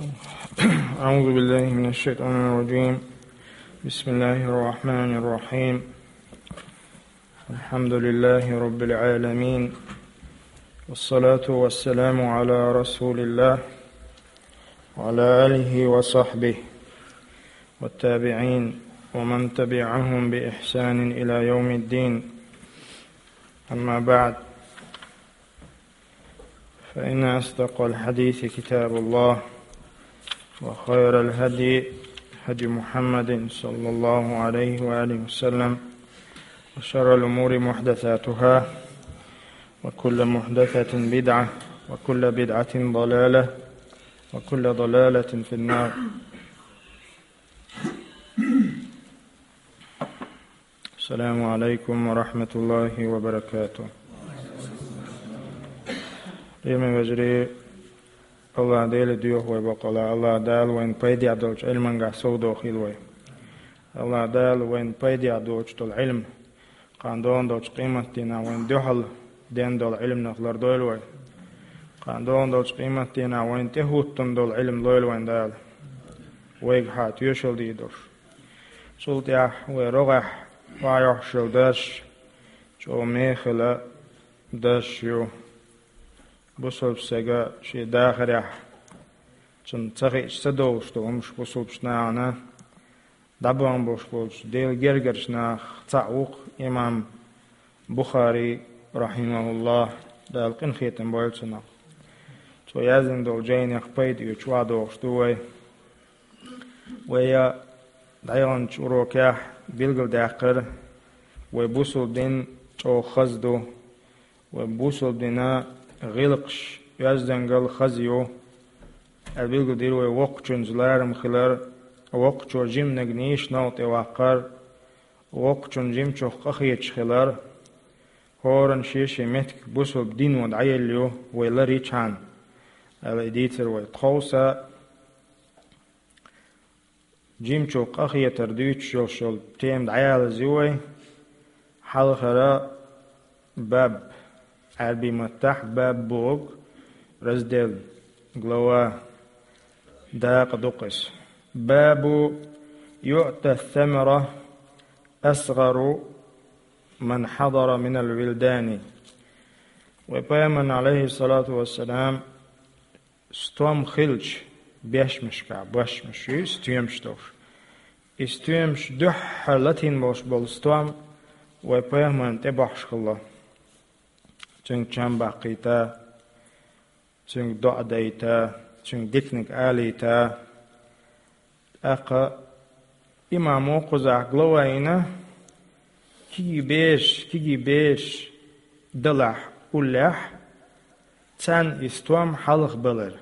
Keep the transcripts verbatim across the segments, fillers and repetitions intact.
أعوذ بالله من الشيطان الرجيم. بسم الله الرحمن الرحيم. الحمد لله رب العالمين. والصلاة والسلام على رسول الله وعلى آله وصحبه والتابعين ومن تبعهم بإحسان إلى يوم الدين. أما بعد، فإن أصدق الحديث كتاب الله، وخير الهدي هدي محمد صلى الله عليه وآله وسلم، وشر الأمور محدثاتها، وكل محدثة بدعة، وكل بدعة ضلالة، وكل ضلالة في النار. السلام عليكم ورحمة الله وبركاته. Лераме вежарий, АллахӀ Дела доьху вай бакъ ала, АллахӀ Дала вайна пайдехь долчу Ӏилманехь совдохийла вай. АллахӀ Дала вайна пайдехь доцуш долу Ӏилма, кхана догӀун долчу къематдийнахь вайна дуьхьал ден долу Ӏилманах лардойла вай. Кхана догӀун долчу къематдийнахь вайна тӀехӀуттун долу Ӏилма лойла вайна Дала, вайгахьа тоьшалла дийр долуш. Цул тӀаьхьа вай рогӀехь охьайохьуш йолу дарс чӀогӀа мехала дарс ю. Бусалба стага шен дахарехь цунна ца хиъча ца довлуш долу хӀумаш бусалбачу нахана дӀабоьлхуш болчу Делан гергарчу нахах цхьаъ ву-кх имам Бухари, рахьимахуллахӀ, Дала къинхетам бойла цунах. Цо яздина долу жайнех пайда оьцуш охьадогӀуш ду вай. Вай дӀаяханчу урокехь билгалдаьккхира, вай бусалба дин чӀогӀа хаза ду, вай бусалба динан гӀиллакхаш, оьздангалла хаза ю, аьлла билгалдира вай воккхачуьнца ларам хилар, воккхачо жиманиг нийса новкъа тӀе ваккхар, воккхачунна жимачух къахеташ хилар, хӀоранна шен-шен меттиг бусалба дино дӀаелла ю вай лар йичхьана, аьлла и дийцира вай. Тховса жимачух къахетар дуьйцуш йолуш йолу тема дӀаялаза ю вай. Хьалхара баб, Ӏаьрбийн маттахь баб боху раздел, глава, дакъа ду-кх иза. Бабу юъта самара асгӀару ман хьадара минал вилдани. Вай Пайхамарна, Ӏалайхиссалату вассалам, стом хилча, бешмашкахь, бешмаш ю, стоьмаш долуш. И стоьмаш дуьххьара латийна болуш болу стом вай Пайхамарна тӀебохьуш хилла. Цуьнга чам баккхийта, цуьнга доӀа дайта, цуьнга диканиг алийта. ТӀаккха имамо кхузахь глава йина, кегий бераш, кегий бераш далахь уллехь, царна и стом хьалхабалар.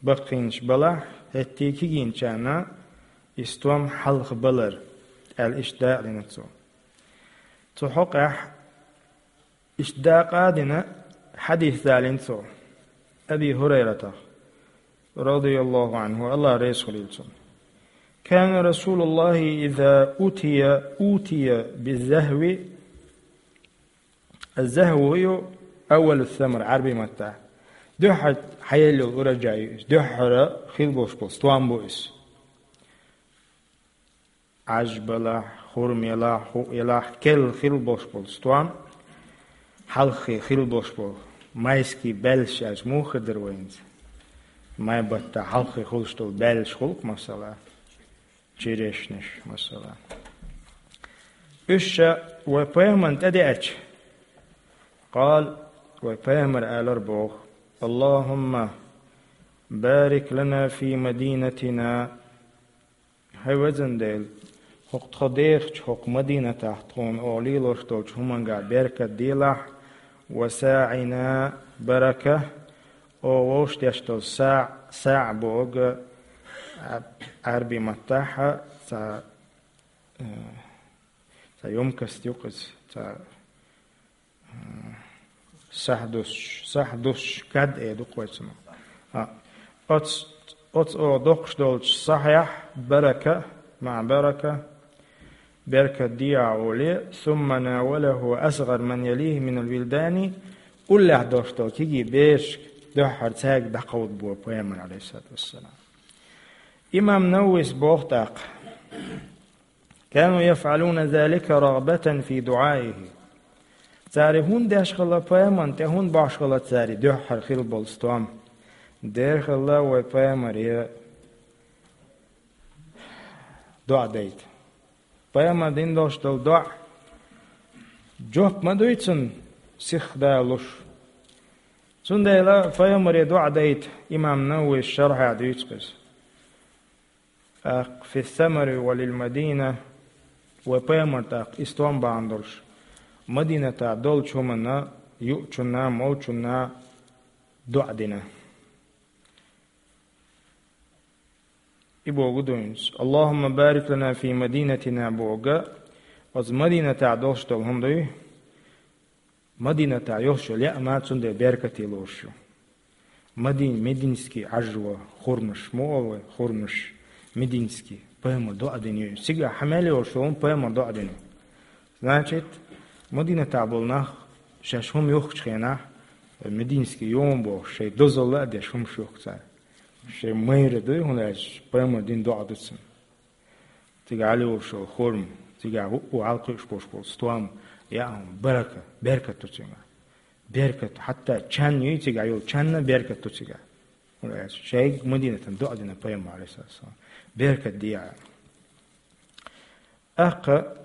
Баккхийнаш балахь, хӀетте кегийчарна и стом хьалхабалар, аьлла иштта дакъа дина цо. Цу хьокъехь иштта дакъа а дина, хьадис далийна цо Аби ХӀурайратах, радияллаху Ӏанху, АллахӀ реза хуьлийла цунна: «Кана Расулуллахи иза утия, утия биззахви». Аз-захву ю аввалу самар Ӏаьрбийн маттахь. Дуьххьара хьаелла йолу ураджай ю иза. Дуьххьара хила болуш болу стом бу иза. Ӏаж балахь, хурма елахь, хӀуъа елахь, керла хила болуш болу стом, хьалххе хила болуш болу майский баьллаш аьлча муха хир дара вайна иза? Май баттахь хьалххе хуьлуш долу баьллаш хуьлу-кх, масала, черешнаш, масала. Уьш ша вай Пайхамарна тӀедеача, къала, вай Пайхамара алар боху: «Аллахумма барик лана фи мадинатина». ХӀай везан Дела, хӀокху тхо дехачу хӀокху Мадинатахь тхуна оха лелош долчу хӀуманга беркат делахь, ва саӀина барака, оха вовшах деш долу саӀ, саӀ боху Ӏаьрбийн маттахь цхьа, э, цхьа ёмкость ю-кх иза, цхьа сахь дуссуш, сахь дуссуш кад э ду-кх вай цунах. А, оц-, оцу оха доккхуш долчу сахьехь барака, маӀа барака, беркат дехьа олий, сумма навалаху асгӀар ман ялихи минал вилдани, уллехь долуш долу кегий берашка дуьххьара цаьрга дӀакховдабо пайхамар, алейхиссалату вассалам. Имам Нававис боху тӀаккха: «كانوا يفعلون ذلك رغبة في دعائه». Цара хӀунда деш хилла пайхамарна тӀе, хӀунда бохьуш хилла цара дуьххьара хилла болу стом? Дера хилла вай пайхамаре доӀа дайта. Пайхамар дина долуш долу доӀа жоп ма дуй цунна сиха далуш. Цундела пайхамаре доӀа дайта, имам Нававис шархьехь дуьйцу иза. ТӀаккха «في الثمر وللمدينة», вай пайхамар тӀаккха и стом бахьана долуш, Мадинатахь долчу хӀуманна, юучунна, молчунна доӀа дина. И богу дуьйна: «اللهم بارك لنا في مدينتنا», богу, оцу Мадинатахь долуш долу хӀума дуй, Мадинатахь йолуш йолу яа ма цундела беркате лоруш ю. Мадин-, мединский Ӏажжо, хурмаш, ма олу вай, хурмаш, мединский, пайхамар доӀа дина ю. Цигахь хьан мел йолуш йолу пайхамар доӀа дина ю. Значит, Мадинатахь болу нах шаьш хӀума юхкучу хенахь, мединский йома бохуш, шайн дозалла а деш хӀумаш юхку цара. Шайн майра дуй, хӀунда аьлча пайхамар дина доӀа ду цунна. Цигахь Ӏалиолуш йолу хурма, цигахь хӀуъу хьалакхуьуш болуш болу стом, яа хӀума, барака, беркат ду цигахь. Беркат, хьатта чан юй, цигахь йолу чанна беркат ду цигахь. ХӀунда аьлча шайга Мадинатан доӀа дина пайхамар, алейхиссалам. Беркат де аьлла. ТӀаккха,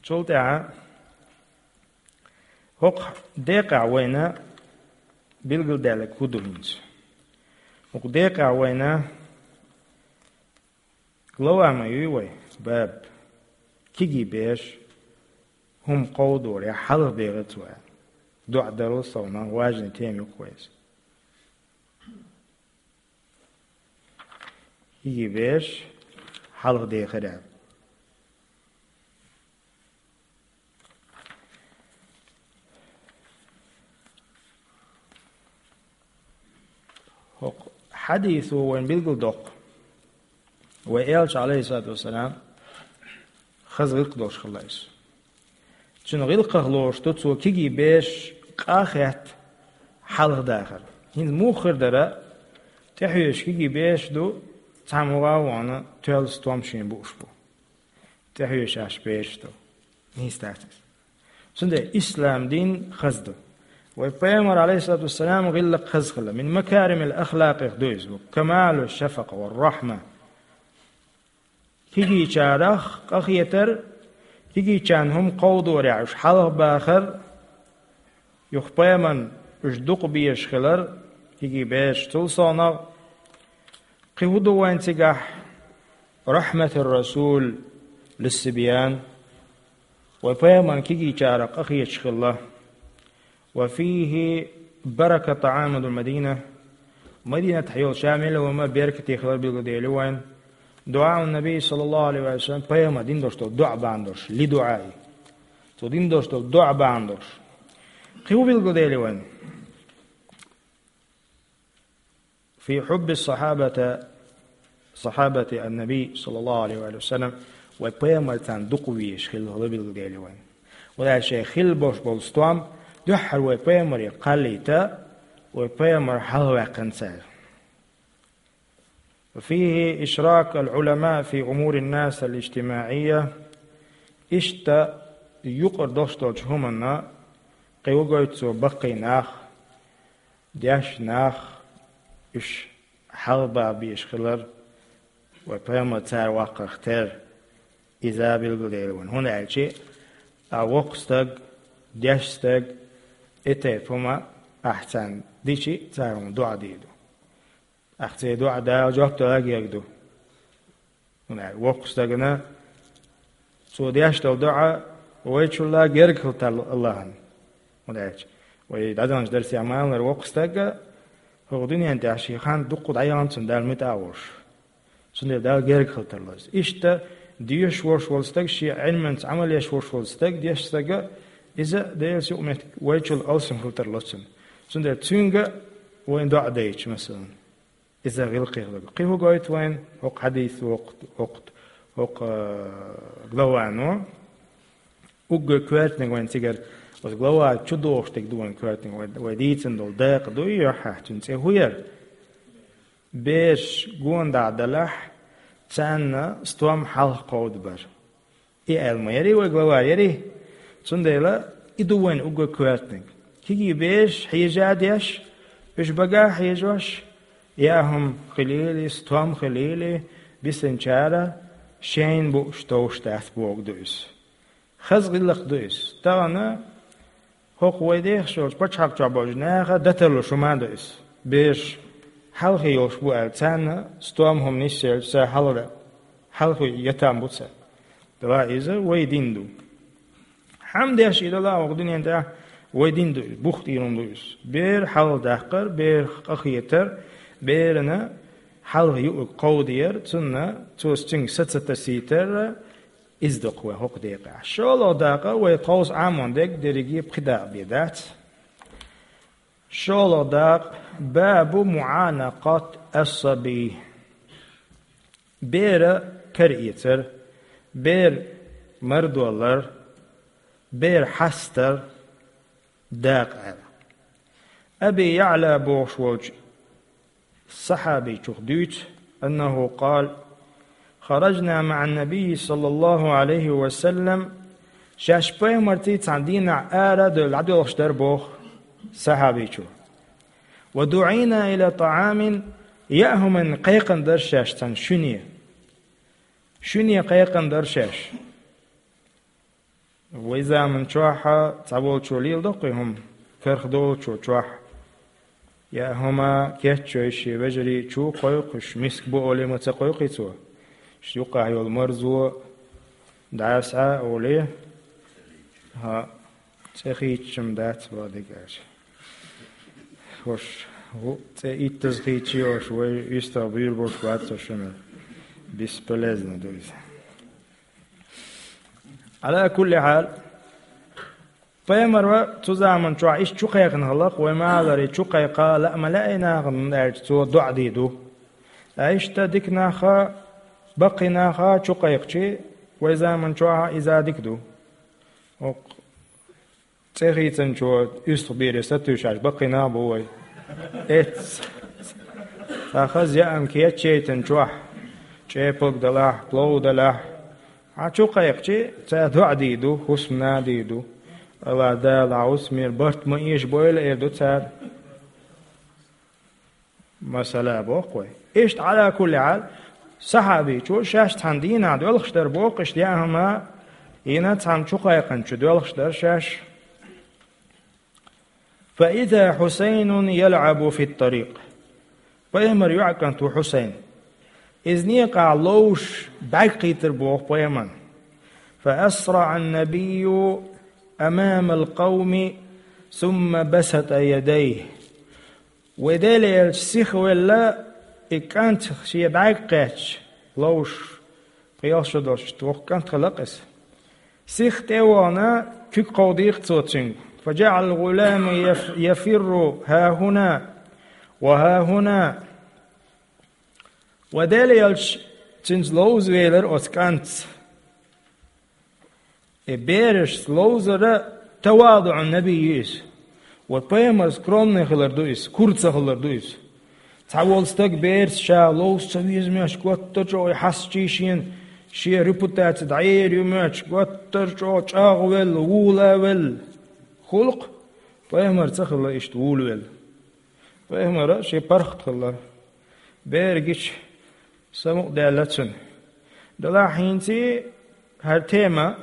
цул тӀаьхьа хӀокху декъехь вайна билгалдаьлларг хӀун ду хӀинца? ХӀокху декъехь вайна глава ма юй вай, баб, кегий бераш хӀума кховдорехь хьалха дехар цо аьлла. ДоӀа дарал совнах важный тема ю-кх вай иза. Кегий бераш хьалха дехар аьлла. ХӀокху хьадисо вайна билгалдоккху, вай элча, алейхиссалату вассалам, хаза гӀиллакх долуш хилла иза. Цуьнан гӀиллакхах лоруш ду цо кегий бераш къа а хетта хьалха дахар. ХӀинца муха хир дара, тӀехьоьжуш кегий бераш ду, цхьамма гӀа а вахана, тоьлла стом шена бууш бу. ТӀехьоьжуш бераш ду. Нийса дац иза. Цундела ислам дин хаза ду. Вай пайхамар, алейхиссалату вассалам, гӀиллакх хаза хилла. Мин макаримил ахлакъех ду иза. Камалу шафакъа ва рахьма. Кегийчарах къахетар, кегийчарна хӀума кховдорехь уьш хьалха бахар, юха пайхамарна уьш дукха безаш хилар, кегий бераш. Цул совнах, кхин хӀун ду вайн цигахь? Рахьматур расул лиссибьян. Вай пайхамарна кегийчарах къахеташ хилла. Ва фийхи барака таамул Мадина. Мадинатахь йолу ша мел а хӀума беркате хилар билгалдели вайн. Дуа ун Наби, саллаллаху алейхи ва саллям, пайхамар дина долуш долу доӀа бахьана долуш, ли дуаи. Цо дина долуш долу доӀа бахьана долуш. Кхин хӀун билгалдели вайн? Фи хьубби сахьабата, сахьабати ан-Наби, саллаллаху алейхи ва саллям, вай пайхамар царна дукха везаш хилла билгалдели вайн. Вай шайн хилла болуш болу стом дуьххьара вай пайхамаре кхаллийта, вай пайхамар хьалхаваьккхина цара. Фихи ишрак ал-Ӏулама фи умури ан-нас ал-иджтимаия. Иштта юкъара долуш долчу хӀуманна кхин вугойту цо баккхий нах, деш нах, уьш хьалхабаха безаш хилар, вай пайхамар цара ваккхарх терра, иза билгалдели вайн. ХӀунда аьлча, а воккха стаг, деш стаг, и тайпа хӀума ахь царна дичи, цара хьуна доӀа дийр ду. Ахь церан доӀа Дала жоп дала герга ду. ХӀунда аьлча воккхачу стагана цо деш долу доӀа вайчулла герга хила тарло Аллахьан. ХӀунда аьлча вай дӀадаханчу дарсехь ма-аллара, воккха стага хӀокху дуьнен тӀехь шен хан дуккха дӀаяхана цунна Дала муьтӀахь а волуш. Цундела Дала герга хила тарло иза. Иштта дешаш волуш волу стаг, шен Ӏилманца Ӏамал еш волуш волу стаг, деш стага, иза Делан юкъаметтиг вайчул алсам хила тарло цунна. Цундела цуьнга вайн доӀа дайча, масалан. Иза гӀиллакхе хилар. Кхин хӀун гойту вайн хӀокху хьадис, хӀокху, хӀокху, хӀокху, а, главано? Уггар коьртаниг вайн цигара Оцу главаца чу догӀуш дерг ду вайн коьртаниг, вай, вай дийцина долу дакъа дуй, юьхьехь цуьнан цӀе хӀун яра? Бераш гонах далахь, царна стом хьалха кховдабар. И аьлла ма ярий вай глава, ярий? Цундела и ду вайн уггар коьртаниг. Кегий бераш хьежа а деш, уьш бага а хьежош, яа хӀума хилийла, стом хилийла, бисинчара шайна бууш товш дац бохург ду иза. Хаза гӀиллакх ду иза. Тахана хӀокху вай дехаш йолчу пачхьалкх чохь болчу наха даталуш хӀума а ду иза. Бераш хьалхе йолуш бу аьлла, царна стом хӀума нисъелча, ца хьалха, хьалхе ятам бу царна. Дала иза вай дин ду. Хьан деш и дала хӀокху дуьнен тӀехь вай дин ду иза, бух тӀера хӀума ду иза. Бер хьалха даккхар, бер къахетар, берана хьалха юург кховдаяр, цунна цо цуьнга са ца тасийтар, иза ду-кх вай хӀокху декъехь. ШолгӀа дакъа вай тховса Ӏамон дерг дерриге пхи дакъа бен дац. ШолгӀа дакъа: бабу муӀанакъат ас-сабий. Бера караэцар, бер мардоллар, бер хьастар дакъа аьлла. Аби Яъла бохуш волчу сахьабичух дуьйцу, аннаху къала: хараджна маӀан-набий саллаллаху Ӏалайхи ва саллам, шаьш пайхамарций цхьана дийнахь ара а девлла дӀадоьлхуш дара боху сахьабичо. Ва дуӀийна ила тӀаӀамин, яа хӀуманна кхайкхина дара шаьш цхьана шуьне. Шуьне кхайкхина дара шаьш. Вай заман чохь цхьаволчо леладо-кх и хӀума, кархдолчо чохь. Яа хӀума кечйой шен вежарий чу кхойкхуш, миска бу олий ма ца кхойкхий цо. Шен юккъахь йолу марзо дӀаса а олий, хьан цӀе хийцча-м дац ван дегаш. ХӀуш, хӀу, цӀе иттаза хийцча йолуш, вай уьстагӀ буьйр болуш вац со шуна. Бесполезно ду иза. Ала кулли хьал, пайхамара цу заман чохь иштта чу кхайкхина хилла-кх, вай ма-аллара, чу кхайкха лаа ма лаьа и нахана аьлча, цо доӀа дийр ду. Ткъа иштта дика наха, баккхий наха чу кхайкхичи, вай заман чохь иза дика ду. ХӀокху цӀе хийцинчо уьстагӀ бере сатуьйсуш баккхий нах бу вай. Эццахь, цхьа хаза яа хӀума кечъяйтина чохь, чӀепалг далахь, плов далахь, хьан чу кхайкхичи, цара доӀа дийр ду, хӀусамна а дийр ду. Ала Дала хьан хӀусамера барт ма эшабойла, эр ду цара. Масала боху вай. Иштта, Ӏала кулли хьал, сахьабичо шаьш цхьана дийнахь доьлхуш дара боху, иштта яа хӀума йина цхьана чу кхайкхинчу доьлхуш дара шаьш. Фа иза Хьусайнун ялӀабу фит-тарикъ. Пайхамар йоӀа кӀант ву Хьусайн. Иза некъахь ловзуш бӀаьрг кхийтира боху пайхамарна. Фа асраӀа ан-набийю амамал къавми, сумма басата ядайхи. Вай Делан элча сиха велла, и кӀант шен бӀаьрг кхаьчча, ловзуш, пхи-ялх шо долуш, воккха кӀант хилла-кх иза. Сиха тӀе а вахана, куьг кховдийра-кх цо цуьнга. Фа джаӀала ал-гӀулама яф-, яфирру хӀа-хӀуна ва хӀа-хӀуна. Вай Делан элча цуьнца ловза велира оцу кӀантца. И берашца ловзара тавадуӀун набий ю иза. Вот пайхамар скромный хилар ду иза, кура ца хилар ду иза. Цхьаволу стаг бераца ша ловза ца веза моьттуш, гуттар а чӀогӀа и хьастачий шена, шен репутаци дӀаер ю моьттуш, гуттар а чӀогӀа чӀагӀвелла, вулавелла. Хуьлу-кх, пайхамар ца хилла иштта вулавелла. Пайхамара шен паргӀат хилла. Бер гича, самукъадаьлла цуьнан. Делахь хӀинца хӀара тема,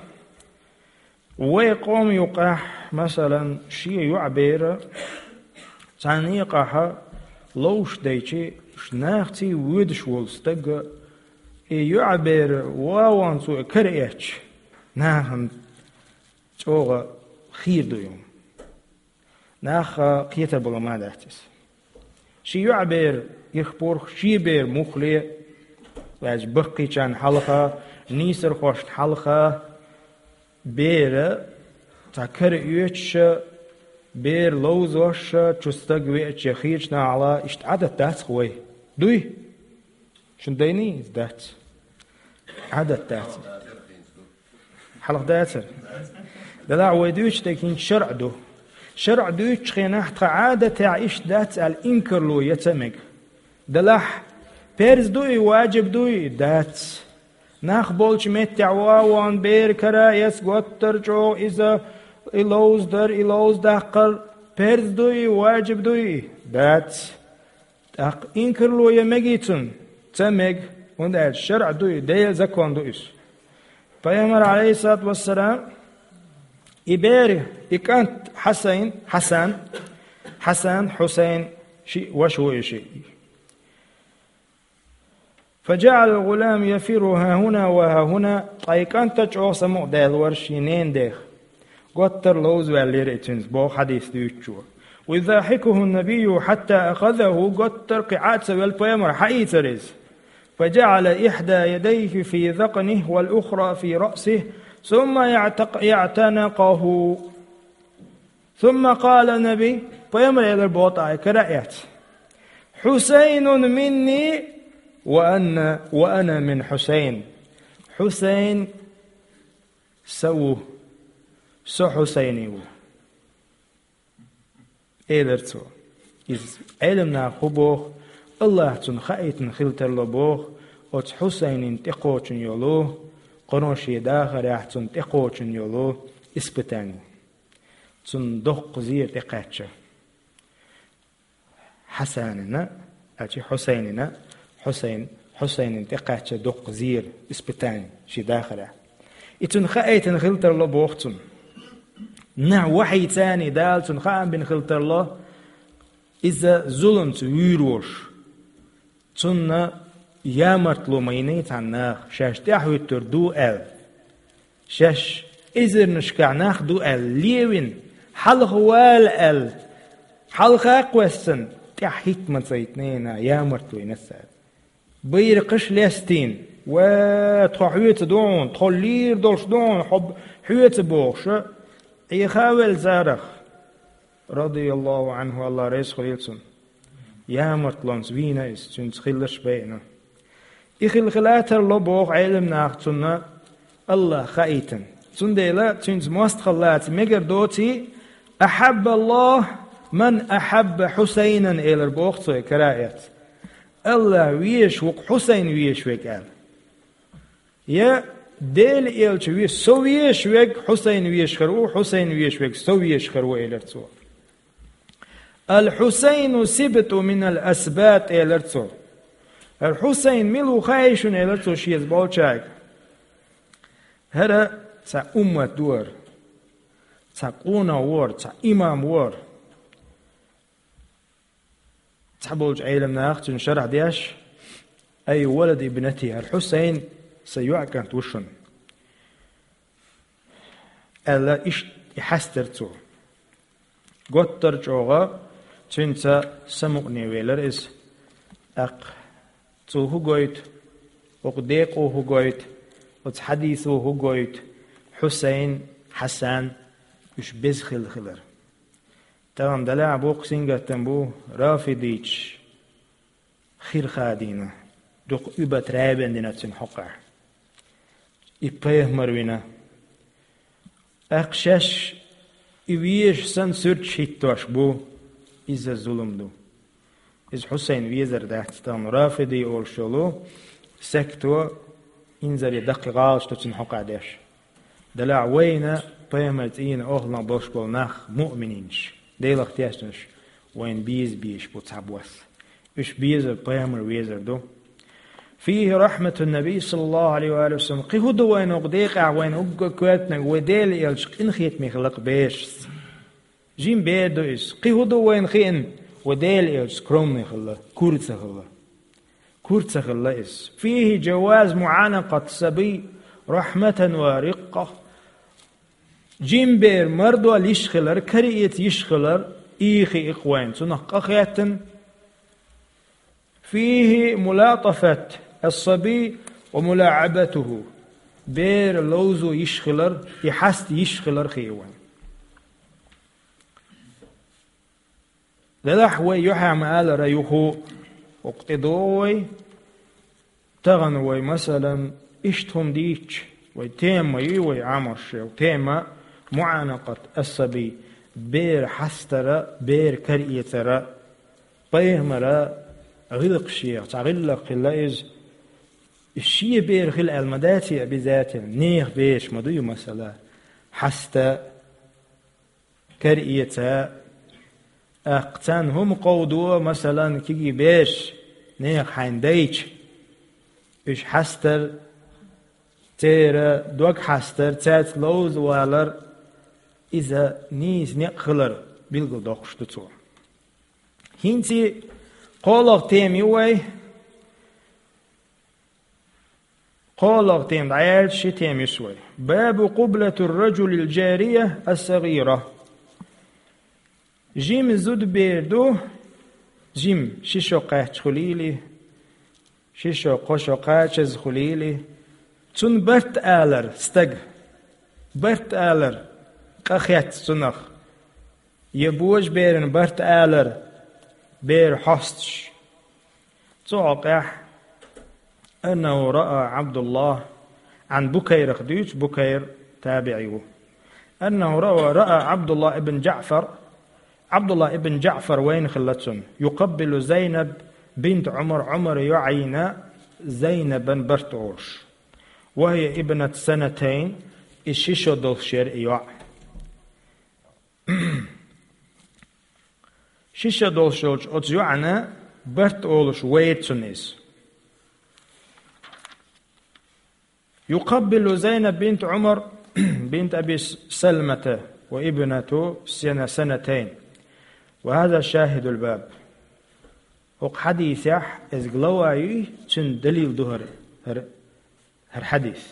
вай къоман юкъахь, масалан, шен йоӀ бер цхьана некъахь ловзуш дайчи, нахаций воьдуш волу стаг, и йоӀ бер вон-вон цо и караэцча, нахана чӀогӀа хийра ду и хӀума. Нах а кхетар бала ма дац иза. Шен йоӀ бер ирх-пурх, шен бер муххале, ваьжа баккхийчарна хьалха, нийсархошна хьалха, бер цхьа кара оьцуш а, бер ловзош а, чу стаг веача, я хийрачу нахала, иштта Ӏадат дац-кх вай. Дуй? Шуна дайний иза? Дац. Ӏадат дац иза. Хьалха дацара. Делахь вай дуьйцуш дерг хӀинца шарӀ ду. ШарӀ дуьйцучу хенахь тхан Ӏадатехь иштта дац аьлла инкарло ян ца мега. Делахь парз ду и, важиб ду и? Дац. Нах болчу меттехь ван-ван бер кара а эца, готтар чӀогӀа иза, и ловза дар, и ловза даккхар парз ду и, важиб ду и? Дац. ТӀаккха инкарло ян мегий цунна? Ца мега, хӀунда аьлча шарӀ ду и, Делан закон ду иза. Пайхамар, Ӏалайхиссалату вассалам, и бер, и кӀант Хьасайн, Хьасан, Хьасан, Хьусайн, шиъ ваша ву и шиъ. فجعل الغلام يفر ها هنا وها هنا, ткъа и кӀант а чӀогӀа самукъадаьлла вара шен ненан дех. Готтар ловза ваьллера и цуьнца, боху хьадис дуьйцучо. ويضاحكه النبي حتى أخذه, готтар кхин Ӏа а ца велла, пайхамар хьаийцира иза. فجعل إحدى يديه في ذقنه والأخرى في رأسه ثم يعتق-, يعتنقه. ثم قال النبي, пайхамар элира боху тӀаккха кара а эцна: حسين مني وأنا، وأنا من حسين. Хьусайн сан ву, со Хьусайнан ву, элира цо. Иза Ӏеламнаха хӀун боху, АллахӀа цунна хаийтина хила тарло боху, оцу Хьусайнина тӀекхочун йолу, кхано шен дахарехь цунна тӀекхочун йолу испытание. Цунна доккха зер тӀекхаьчча. Хьасанина, аьлча Хьусайнина, Хьусайн, Хьусайнина тӀекхаьчча доккха зер, испытание, шен дахарехь. И цунна хаийтина хила тарло боху цунна. Нах вахьийца а Дала цунна хаам бина хила тарло, иза зуламца вуьйр волуш. Цунна ямартло ма йиний цхьана наха, шаьш тӀаьхьахӀуьттур ду аьлла. Шаьш эзарнашкахь нах ду аьлла левина, хьалха вала аьлла, хьалха а кхоьссина, тӀаьхьа хӀитта ма цайтинехь, ямартло йина цара. Байракхаш лестийна, ва, тхо хьоьца ду хьуна, тхо лийр долуш ду хьуна, хьо б-, хьоьца бохуша, Ӏеха а велла царах. Радияллаху Ӏанху, АллахӀ реза хуьлийла цунна. Ямартлонца вийна иза, цуьнца хилларш байина. И хила хила тарло боху Ӏеламнаха цунна, АллахӀа хаийтина. Цундела цуьнца мостагӀалла лаца мегар доций, «أحب الله من أحب حسينا», элира боху цо и кара а эцна. АллахӀ везаш ву-кх Хьусайн везаш верг аьлла. Я Делан элча ве-, со везаш верг Хьусайн везаш хир ву, Хьусайн везаш верг со везаш хир ву, элира цо. «الحسين سبط من الأسباط», элира цо. ХӀара Хьусайн мила ву хаьий шуна, элира цо шеца болчаьрга. ХӀара цхьа уммат вара, цхьа къонах вара, цхьа имам вара. Цхьаболчу Ӏеламнаха цуьнан шарахь деш: «أي ولد ابنتي», хӀара Хьусайн сан йоӀан кӀант ву шуна, аьлла, иштта и хьаьстира цо. Готтара чӀогӀа цуьнца самукъане велира иза. ТӀаккха цо хӀун гойту, оцу декъо хӀун гойту, оцу хьадисо хӀун гойту, Хьусайн, Хьасан, уьш беза хилла хилар. Тахана делахь боккха сингаттам бу рафидичаш хир хадийна, дукха уьбат рабен дина цуьнан хьокъехь. И пайхамар вина. ТӀаккха шаьш и везаш санна суьрташ хӀиттош бу, иза зулам ду. Иза Хьусайн везар дац, тахана рафиди олуш йолу секто инзаре даккхий гӀалаш ду цуьнан хьокъехь деш. Делахь вайна пайхамар цӀийнан охӀланах болуш болу нах, муъмининаш, Делах тешнарш, вайна беза безаш бу цхьабосса. Уьш безар пайхамар везар ду. «فيه رحمة النبي صلى الله عليه وآله وسلم». Кхин хӀун ду вайна оцу декъехь, вайна уггар коьртаниг вай Делан элча къинхетаме хилла-кх берашца. Жима бер ду иза. Кхин хӀун ду вайна хиъна, вай Делан элча скромный хилла, кура ца хилла. Кура ца хилла иза. «فيه جواز معانقة الصبي رحمة ورقة». Жима бер мардол йиш хилар, караэца йиш хилар, и хи икх вайн, цунах къахетта. «فيه ملاطفة الصبي وملاعبته». Бер ловзо йиш хилар, и хьаста йиш хилар хи вайн. Делахь вай юьхьа ма-аллара юху, оцу тӀе догӀу вай, тахана вай, масалан, иштта хӀума дийцча, Вай тема ма ю вай Ӏамош йола тема: муӀанакъат ас-сабий, бер хьастара, бер караэцара. Пайхамара гӀиллакхашех цхьа гӀиллакх хилла иза. Шен бер хила аьлла ма дац обязательно, нехан бераш ма ду ю, масала, хьаста, караэца. ТӀаккха царна хӀума кховдо, масала, кегий бераш нехан хьайна дайча, уьш хьастар, церан дог хьастар, цаьрца ловза валар, иза нийса некъ хилар билгалдоккхуш ду цо. ХӀинца кхоалагӀа тема ю вай. КхоалагӀа тема дӀаяьлча, ши тема ю вай. باب قبلة الرجل الجارية الصغيرة. Жима зудабер ду, жима, ши шо кхаччалц хуьлийла, ши шо, кхо шо кхачаза хуьлийла, цунна барт алар стага. Барт алар, къахетта цунах. Я божаберана барт алар, бер хьосташ. Цу хьокъехь: أنه رأى عبد الله, Ӏан Букайрах дуьйцу, Букайр табиӀи ву. أنه رأى، رأى عبد الله بن جعفر, Ӏабдуллах ибн ДжаӀфар вайна хилла цунна, يقبل زينب بنت عمر, Ӏумара йоӀ йина Зайнабан барт олуш. وهي ابنة سنتين, и ши шо долуш яра и йоӀ. Ши шо долуш йолчу оцу йоӀана барт олуш вайра цунна иза. يقبل زينب بنت عمر بنت أبي سلمة وابنة سنة، سنتين. وهذا شاهد الباب. ХӀокху хьадисехь иза глава юй, цуьнан далил ду хӀара, хӀара, хӀара хьадис.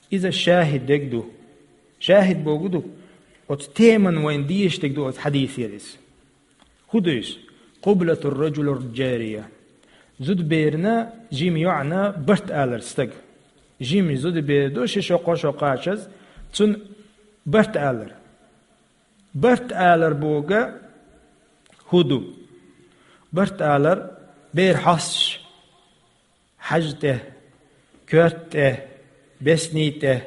Иза шахид дерг ду. Шахид бохург ду, оцу теман вайна дезаш дерг ду оцу хьадисера иза. ХӀун ду иза? قبلة الرجل الجارية. Зудаберана жима йоӀана барт алар стага. Жима зудабер ду, ши шо, кхо шо кхачаза, цунна барт алар. Барт алар бохург хӀун ду? Барт алар бер хьосташ. Хьажа тӀе, коьрта тӀе, бесни тӀе.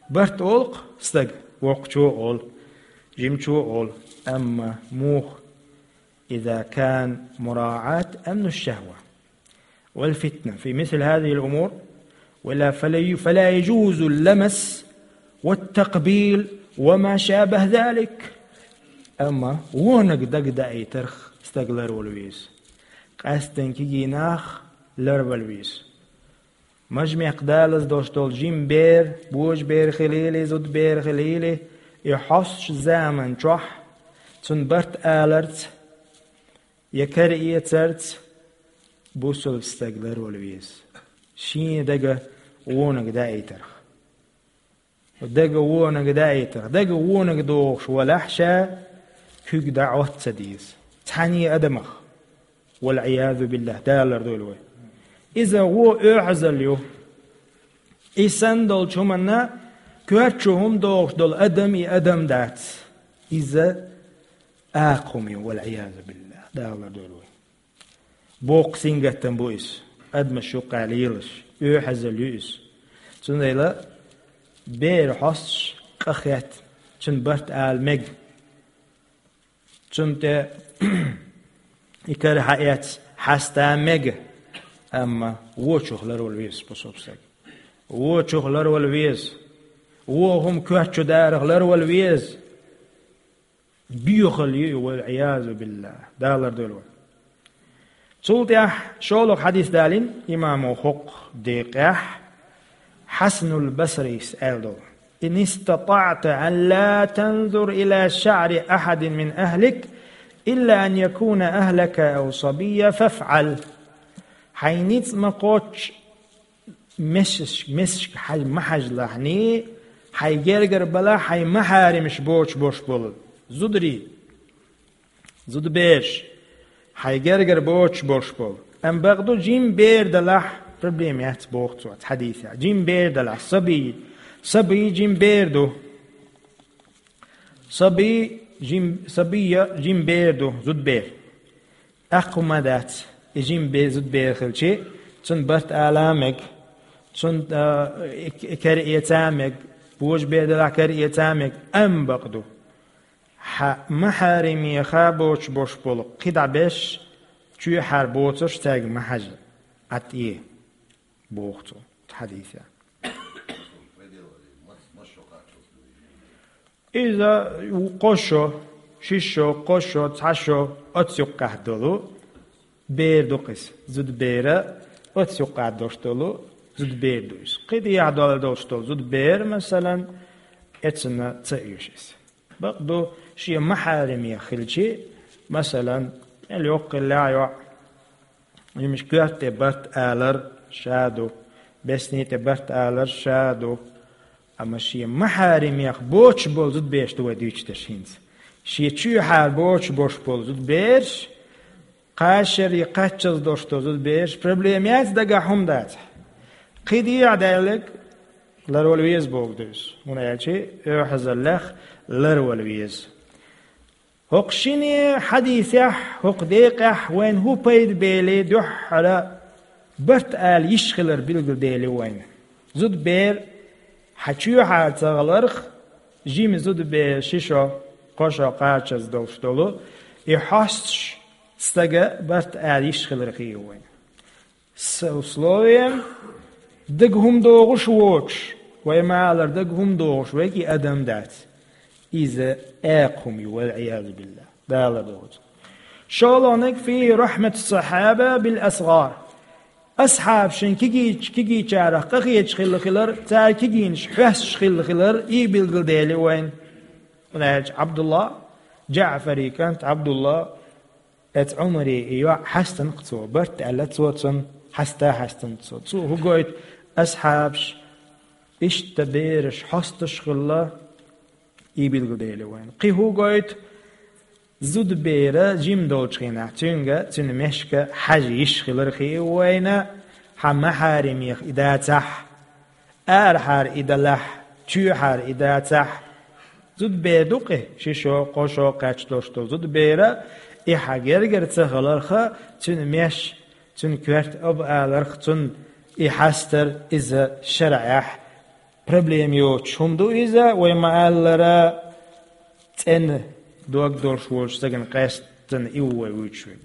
Барт олу-кх стага, воккхачо а олу, жимачо а олу. Амма муха? إذا كان مراعاة أمن الشهوة والفتنة في مثل هذه الأمور، ولا فلا، فلا يجوز اللمس والتقبيل وما شابه ذلك. Амма вониг дагадаийтарх стаг ларвала веза. Къаьсттина кегий нах ларвала веза. Мажа-мекх далаза долуш долу жима бер, божабер хилийла, зудабер хилийла, и хьостачу заман чохь цунна барт аларца я караэцарца бусалба стаг ларвала веза. Шен дага вониг даийтарх. Дага вониг даийтарх. Дага вониг дохуш валахь ша, куьг дӀа Ӏотта ца деза. Цхьаьнне адамах. والعياذ بالله, Дала лардойла вай. Иза вон оьгӀазалла ю. И санна долчу хӀуманна коьртачу хӀума дохуш долу адам и адам дац. Иза акха хӀума ю, والعياذ بالله, Дала лардойла вай. Боккха сингаттам бу иза. Адамаш юккъехь лелаш, оьгӀазалла ю иза. Цундела бер хьосташ къахетта, цуьнан барт ала мега. Цунна тӀе и кара хьаэцна хьаста мега, амма вочух ларвала веза бусалба стаг. Вочух ларвала веза. Вон хӀума коьртачу дарах ларвала веза. Боьхалла ю и, والعياذ بالله. Дала лардойла вай. Цул тӀаьхьа шолгӀа хьадис далийна имамо хӀокху декъехь, Хьасанул Басрис аьлла долу: إن استطعت أن لا تنظر إلى شعر أحد من أهلك إلا أن يكون أهلك أو صبيا فافعل. Хьайн ницкъ ма кхоччу, месаш-, месашка хьажа ма хьажалахьний, хьайн гергара балахь хьайн махьарамаш боцуш болуш болу зударий. Зудабераш, хьайн гергара боцуш болуш болу. Амма бакъду, жима бер далахь, проблема яц боху цо оцу хьадисехь. Жима бер далахь, сабий, сабий жима бер ду. Сабий жим-, сабийя жима бер ду, зудабер. Акха хӀума дац, и жима бер, зудабер хилча, цунна барт ала мега. Цунна, а, и, и кара эца мега, божабер делахь кара эца мега, амма бакъду, хьан махьаримех боцуш болуш болу кхидӀа беш чоьхьара боцурш цаьрга ма хьажа, Ӏад Ӏе, боху цо хьадисехь. Иза кхо шо, ши шо, кхо шо, цхьа шо оцу юккъехь долу бер ду-кх иза. Зудабера оцу юккъехь долуш долу зудабер ду иза. Кхин дехьа долуш долу зудабер, масалан, эцна ца оьшу иза. Бакъду, шен махьаримех хилчи, масалан, мел йоккха хиллехь а йоӀ, йимаш коьрта тӀе барт алар ша ду, бесни тӀе барт алар ша ду. Амма шен махьаримех боцуш болу зудаберш ду вай дуьйцуш дерш хӀинца. Шен чоьхьара боцуш болуш болу зудаберш, кхачаре кхаччалц долуш долу зудаберш, проблема яц, дагахь хӀума дацахь. Кхин дехьа даьлларг ларвала веза боху ду иза, хӀунда аьлча оьгӀазаллех ларвала веза. ХӀокху шине хьадисехь, хӀокху декъехь вайна хӀун пайда бели дуьххьара барт ала йиш хилар билгалдели вайна. Зудабер хьан чоьхьара ца хиларх, жима зудабер ши шо, кхо шо кхачаза долуш долу, и хьостуш стага барт ала йиш хилар хии вайна. С условием, дага хӀума догӀуш воцуш, вай ма-аллара, дага хӀума догӀуш верг и адам дац. Иза экха хӀума ю, вал-Ӏиязу биллахӀ. Дала догӀу. ШолгӀаниг фи рахьмат сахьаба бил асгӀар. Асхьабашна кигийч-, кигийчарах къахеташ хилла хилар, цара кигийнаш хьоьстуш хилла хилар, и билгалдели вайна. ХӀунда аьлча Ӏабдулла, ДжаӀфари кӀант Ӏабдулла, Эцу Ӏумаре и йоӀ хьаьстина-кх цо, барт аьлла цо цунна, хьаста хьаьстина цо. Цо хӀун гойту, асхьабаш иштта бераш хьостуш хилла, и билгалдели вайна. Кхин хӀун гойту, зудабер жима долчу хенахь, цуьнга, цуьнан мешка хьажа йиш хилар хии вайна, хьан махьаримех и дацахь, арахьара и далахь, чоьхьара и дацахь, зудабер ду-кх и, ши шо, кхо шо кхаьчна долуш долу зудабер, и хьан гергара ца хиларх, цуьнан меш, цуьнан коьрта аба аларх, цунна и хьастар, иза шарӀехь проблема йоцуш хӀума ду иза, вай ма-аллара, цӀена дог долуш волчу стагана къаьстина и ву вай вуьйцуш верг.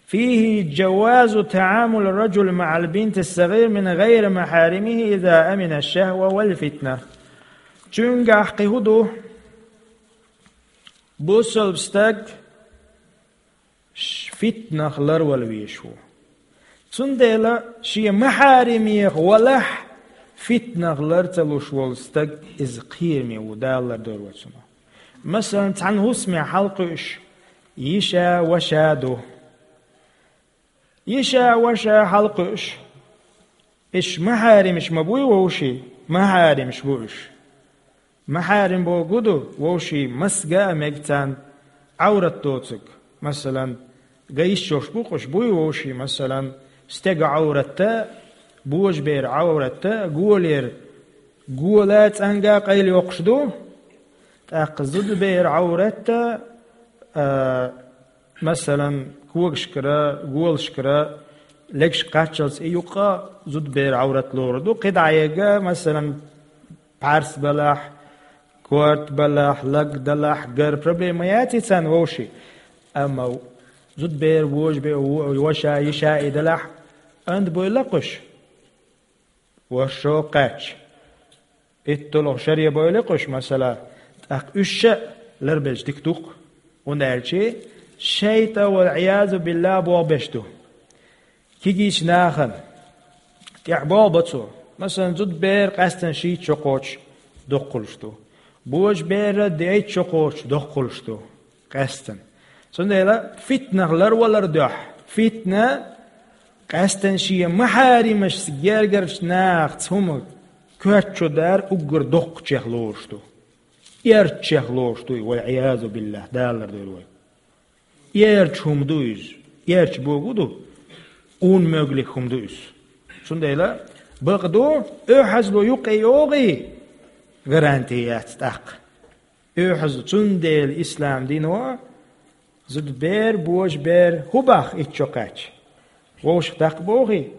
فيه جواز تعامل الرجل مع البنت الصغير من غير محارمه إذا أمن الشهوة والفتنة. Цуьнгахь кхин хӀун ду? Бусалба стаг ш-, фитнах ларвала везаш ву. Цундела шен махьаримех валахь, фитнах лар ца луш волу стаг иза кхераме ву, Дала лардойла вай цунах. Масалан, цхьана хӀусаме хьалакхуьуш йиша, ваша ду. Йиша, ваша хьалакхуьуш, уьш махьаримаш ма буй вовшийн? Махьаримаш бу уьш. Махьарим бохург ду вовшийн, маса ган а мега царна, Ӏаврат доцург. Масалан, ган йиш йолуш бу-кх уьш, буй вовшийн, масалан, стеган Ӏаврат а, божаберан Ӏаврат а, голера, гола а, цӀанга а къайлайоккхуш ду, тӀаккха зудаберан Ӏаврат а, а, масалан, когашкара, голашкара легаш кхаччалц и юккъе зудаберан Ӏаврат лорур ду. КхидӀа а, масалан, пхьарс балахь, корта балахь, лаг далахь, гар, проблема яц и царна вовшийн. Амма зудабер, вожабе-, во-, ваша, йиша и далахь, анда бойла-кх уьш? ВорхӀ шо кхаьчча, итталгӀа шаре бойла-кх уьш, масала, тӀаккха уьш а ларбелча дика ду-кх. ХӀунда аьлча шайтӀа, вал-Ӏиязу биллахӀ, болх беш ду. Кегийчу нахана тӀехь болх бо цо. Масалан, зудабер къаьстина шийтта шо кхочуш доккхуш ду. Божабер дейтта шо кхочуш доккхуш ду. Къаьстина. Цундела фитнах ларвалар дуьхьа. Фитна къаьстина шен махьаримашца гергарчу нахаца хӀума коьрта чу дар уггар доккхачех лоруш ду. Эрччех лоруш ду и, вал-Ӏиязу биллахӀ, Дала лардойла вай. Эрча хӀума ду иза. Эрча бохург ду, унмоьглиг хӀума ду иза. Цундела бакъ ду, оьгӀазло юккъе йогӀий, гаранти яц тӀаккха. ОьгӀаз, цундела ислам дино зудабер, божабер хӀун боху итт шо кхаьчча? Вовшах даккха бохий?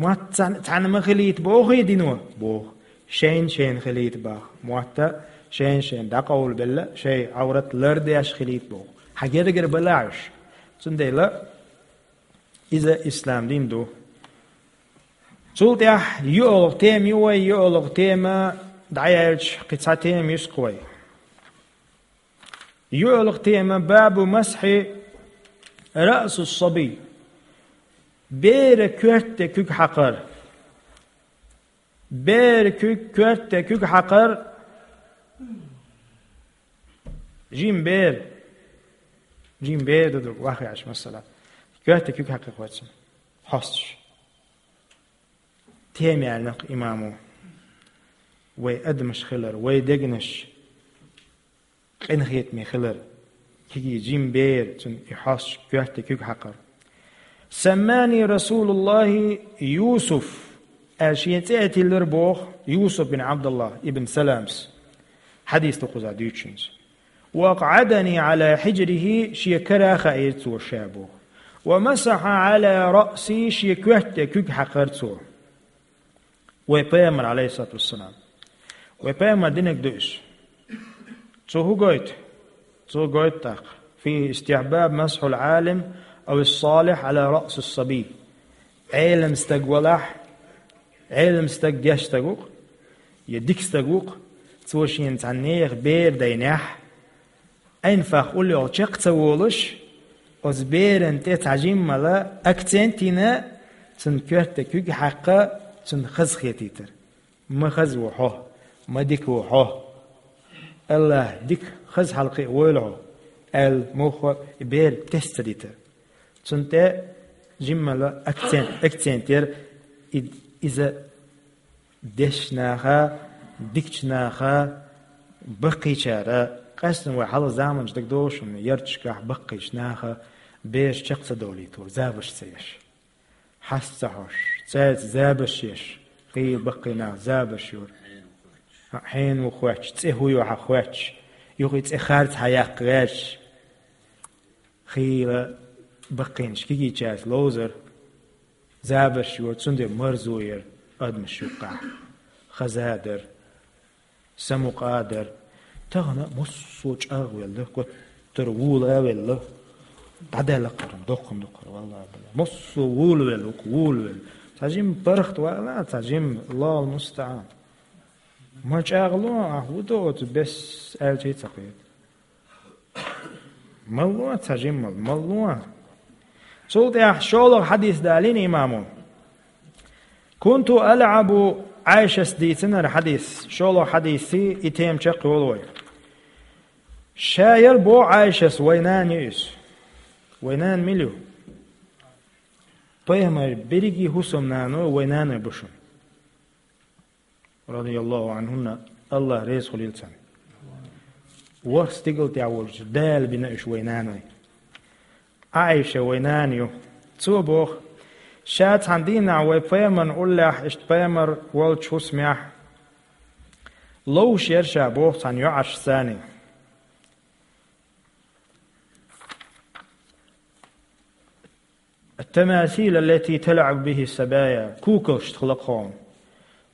Мотт цхьан-, цхьаьна ма хилийта бохий дино? Боху. Шайна-шайна хилийта боху. Мотт шайна-шайна дӀакъовлабелла, шайн Ӏаврат лардеш хилийта боху. Хьан гергара балахь уьш. Цундела иза ислам дин ду. Цул тӀаьхьа юалгӀа тема ю вай, юалгӀа тема дӀаяьлча, кхин цхьа тема юьсу-кх вай. ЮалгӀа тема: бабу масхьи раъсис-сабий. Бера коьрта тӀе куьг хьакхар. Бера куьг, коьрта тӀе куьг хьакхар. Жима бер. Жима бер ду ду, вахъяш, масала. Коьрта тӀе куьг хьакхар хӀоьттина. Хьосташ. Тема яьлла-кх имамо. Вай адамаш хилар, вай дегнаш къинхетаме хилар. Кегий жима бер, цунна и хьосташ, коьрта тӀе куьг хьакхар. Саммани Расулуллахи Юсуф, аьлла шен цӀе а тиллира боху Юсуф бин Абдуллах ибн Саламс. Хьадис ду кхузахь дуьйцучуьнца. Ва акъъадани Ӏала хьижрихи, шен кара а хаийра цо ша боху. Ва масахьа Ӏала раъси, шен коьрта тӀе куьг хьакхар цо. Вай пайхамар, алейхиссалату вассалам. Вай пайхамар динарг ду иза. Цо хӀун гойту? Цо гойту тӀаккха: фи истихьбаб масхьул Ӏалим ав ис-салихь Ӏала раъсис-сабий. Ӏелам стаг валахь, Ӏелам стаг гечдеш стаг ву-кх, я дика стаг ву-кх, цо шена цхьа нехан бер дайнехь, Ӏин фах уллехула чекх ца волуш, оцу беран тӀе цхьа жиммала акцент йина, цунна коьрта тӀе куьг хьакха, цунна хаза хетийтар. Ма хаза ву хьо, ма дика ву хьо. Аллах дика, хаза хьалакхиа войла хьо, аьлла, муха и бер тесна ца дитар. Цунна тӀе жиммала акцент, акцент яра и-, иза. Дешначу наха, дикачу наха, баккхийчара, къаьстина вай хьалха заманчу дагадогӀуш хӀума, ярташкахь баккхийчу наха бераш чекх ца долуьйтура, забарш ца еш. Хьаста ца хьош, цаьрца забарш еш, хийла баккхий нах забарш йора. Хьенан ву хоьттуш, цӀе хӀун ю хьан хоьттуш, юха и цӀе харц хьан яккха гӀерташ. Хийла баккхийнаш кегийчаьрца ловзар, забарш йора, цундела марзо яра адамаш юккъехь. Хаза а дара, самукъа а дара. Тахана массо а чӀагӀвелла, коьттара вула а велла. ДӀадаьлла кхара, доккхун ду кхара, валлахӀи, билла. Массо а вулавелла, вука вулавелла. Цхьа жимма паргӀат вала, цхьа жимма, Аллахул мустаӀан. Ма чӀагӀло, ахь хӀун до оцу бес аьлча а ца кхета. Малло цхьа жиммал, малло. Цул тӀаьхьа шолгӀа хьадис далийна имамо. Кунту алъабу, Ӏайшас дийцинарг хьадис, шолгӀа хьадисий и тема чекхйолу вай. Ша яра боху Ӏайшас, вай нана ю иза. Вай нана мила ю? Пайхамар берриге хӀусамнаной вай наной бу шуна. Радияллаху анхунна, Аллах реза хуьлийла царна. ВорхӀ стигала тӀехь волчу Дала бина уьш вай наной. Ӏайша вай нана ю. Цо боху, ша цхьана дийнахь вай пайхамарна уллехь, иштта пайхамар волчу хӀусамехь ловш яра ша боху цхьана йоӀаршцаний. Ат-тамасил аллати талъабу бихи сабая. Куколш хила кхуна.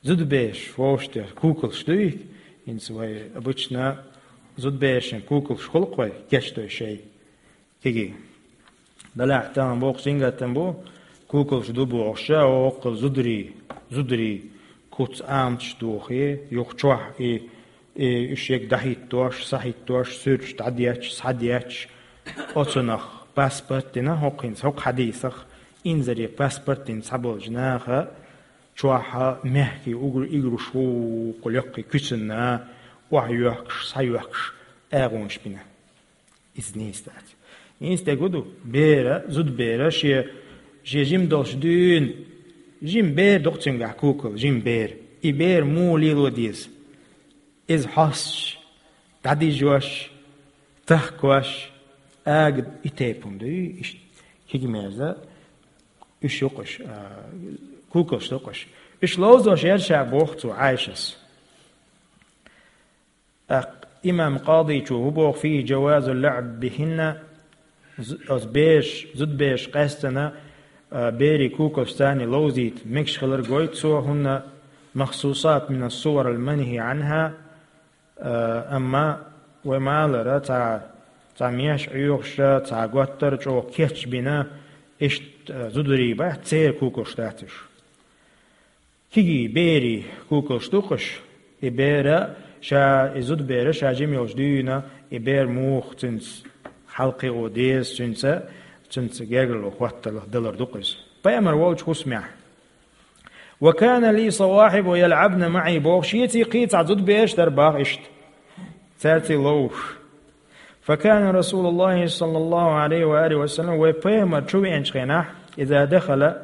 Зудабераш вовшах дер куколш дуй? ХӀинца вай обычно зудаберашна куколш хуьлу-кх вай, гечдой шай. Кегий. Делахь тахана боккха сингаттам бу, куколш ду бохуш, воккхал зударий, зударий. Куц амташ дохий, юха чохь и, и уьш ерг дӀахӀиттош, схьахӀиттош, суьрташ дӀадетташ, схьадетташ, оцунах паспорт дина, хӀокхуьнца, хӀокху хьадийсах, инзаре паспорт дина цхьаболчу наха, чохь мехкий угар-, игруш ву, кху лекхий куьцанна, охьайоьхкуш, схьайоьхкуш, агӀонаш бина. Иза нийса дац. Нийса дерг хӀун ду? Бера, зудабера, шен, шен жима долуш дуьйна, жима бер ду-кх цуьнгахь кукал, жима бер. И бер муха лело деза? Иза хьосташ, дӀадижош, тахкош, ага и тайпа хӀума дуй, иштта кегий мерза, уьш ю-кх уьш, а, кукалш ду-кх уьш. Уьш ловзош яра ша боху цо Ӏайшас. ТӀаккха имам Къадичо хӀун боху: фийхи жавазу лаӀб бихинна, з-, оцу бераш, зудабераш къаьстина, а, берий кукалш царна ловзийта мегаш хилар гойту цо, хӀунна مخصوصات من الصور المنهي عنها, а, амма вай ма аллара, цхьа, цхьа меш Ӏоьхуш, цхьа готтар чӀогӀа кечбина, иштта, а, зударий бац, церан кукалш дац уьш. Кегий берий кукалш ду-кх уьш, и бер а ша, и зудабер а ша жима йолчу дуьйна, и бер муха цуьнца хьалакхио деза, цуьнца, цуьнца гергарло хӀотталла далар ду-кх иза. Пайхамар волчу хӀусамехь. وكان لي صواحب يلعبن معي боху, шеца кхин цхьа зудабераш дара боху иштта. Цаьрца ловзуш. فكان رسول الله صلى الله عليه وآله وسلم, вай Пайхамар чу веанчу хенахь, إذا دخل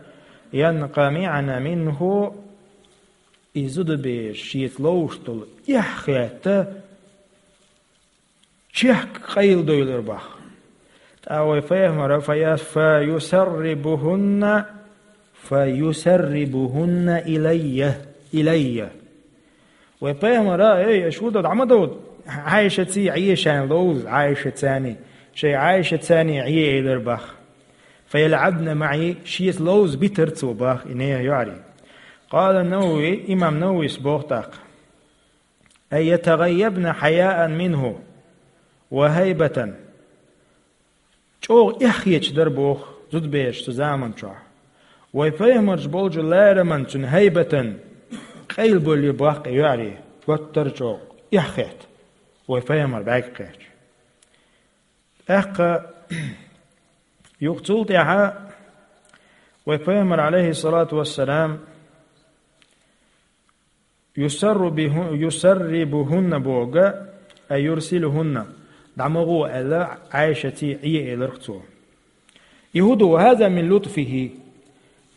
ينقمعن منه, и зудабераш шеца ловзуш долу эхь а хетта, чехка къайладевлира боху. ТӀаккха вай Пайхамара, فيس-, فيسربهن، فيسربهن إلي، إلي. Вай Пайхамара, эй, аша хӀун до, дӀа ма довда, Ӏайшаций Ӏе шайна ловза, Ӏайшацаний, шайн Ӏайшацаний Ӏе элира боху. فيلعبن معي, шеца ловза битира цо боху и нехан йоӀарий. قال النووي, имам Нававис боху тӀаккха: أي يتغيبن حياء منه وهيبة. ЧӀогӀа эхь хеташ дара боху зудабераш цу заман чохь. Вай Пайхамарчу болчу лараман цуьнан хӀайбатан къайлабевлира боху и йоӀарий, готтар а чӀогӀа эхь хетта, вай Пайхамар бӀаьрг кхетча. ТӀаккха юха цул тӀаьхьа вай Пайхамар, عليه الصلاة والسلام, يسر به-, يسربهن боху, أي يرسلهن, дӀа ма гӀо аьлла, Ӏайшаций Ӏе элира цо. И хӀун ду, وهذا من لطفه,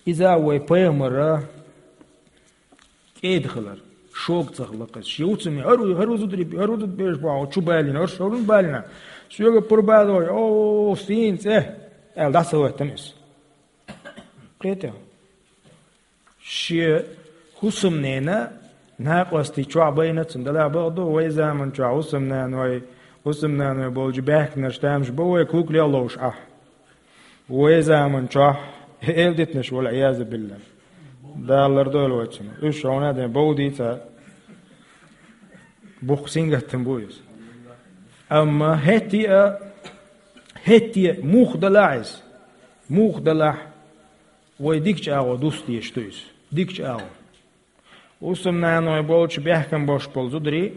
иза вай Пайхамара кӀеда хилар, шога ца хилла-кх иза. Шен хӀусамна, хӀара, хӀара зударий, хӀара зудабераш боху, чу балийна, хӀорш хӀара балийна. Соьга пурба дой, о, сийна цӀе, аьлла, дӀа ца хӀоьттина иза. Кхетий? Шен хӀусамненан накъостий чохь байна цунна, делахь бакъду, вай заман чохь хӀусамнаной, хӀусамнаной болчу баьхкинарш тамаш бо вай кукалех ловзуш Ӏа. Вай заман чохь эладитанаш, والعياذ بالله. Дала лардойла вай цунах. Уьш хьуна а ден бовдийца, бухху сингаттам бу иза. Амма хӀетте а, хӀетте а муха далахь иза, муха далахь, вай дикачу агӀор дуста дезаш ду иза. Дикачу агӀор. ХӀусамнаной болчу баьхкина болуш болу зударий,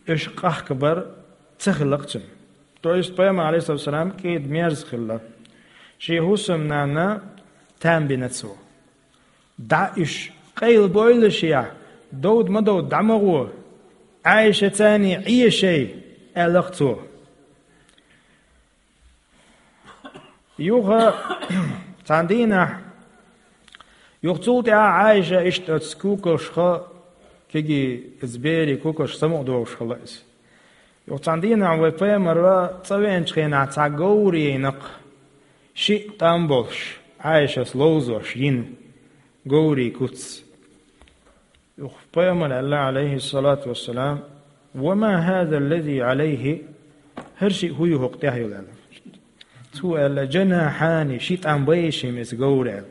уьш къахкабар ца хилла-кх цуьнан. То есть Пайхамар, عليه الصلاة والسلام, кӀеда мерза хилла. Шен хӀусамнанна там бина цо. ДӀа уьш къайлабойла шех, довда ма довда, дӀа ма гӀо, Ӏайшацаний Ӏе шайн, аьлла-кх цо. Юха цхьана дийнахь, юха цул тӀаьхьа Ӏайша иштта оцу кукалшха, кегий, иза берий кукалшха самукъадогӀуш хилла иза. Юха цхьана дийнахь вай Пайхамар цӀа веанчу хенахь цхьа говр йина-кх, шиъ тӀам болуш, Ӏайшас ловзош йина говрийн куц. Юха Пайхамар аьлла, عليه الصلاة والسلام: «وما هذا الذي عليه؟» ХӀара шиъ хӀун ю хӀокху тӀехь йолу аьлла. Цо аьлла: «جناحان», шиъ тӀам бу шимма иза говра аьлла.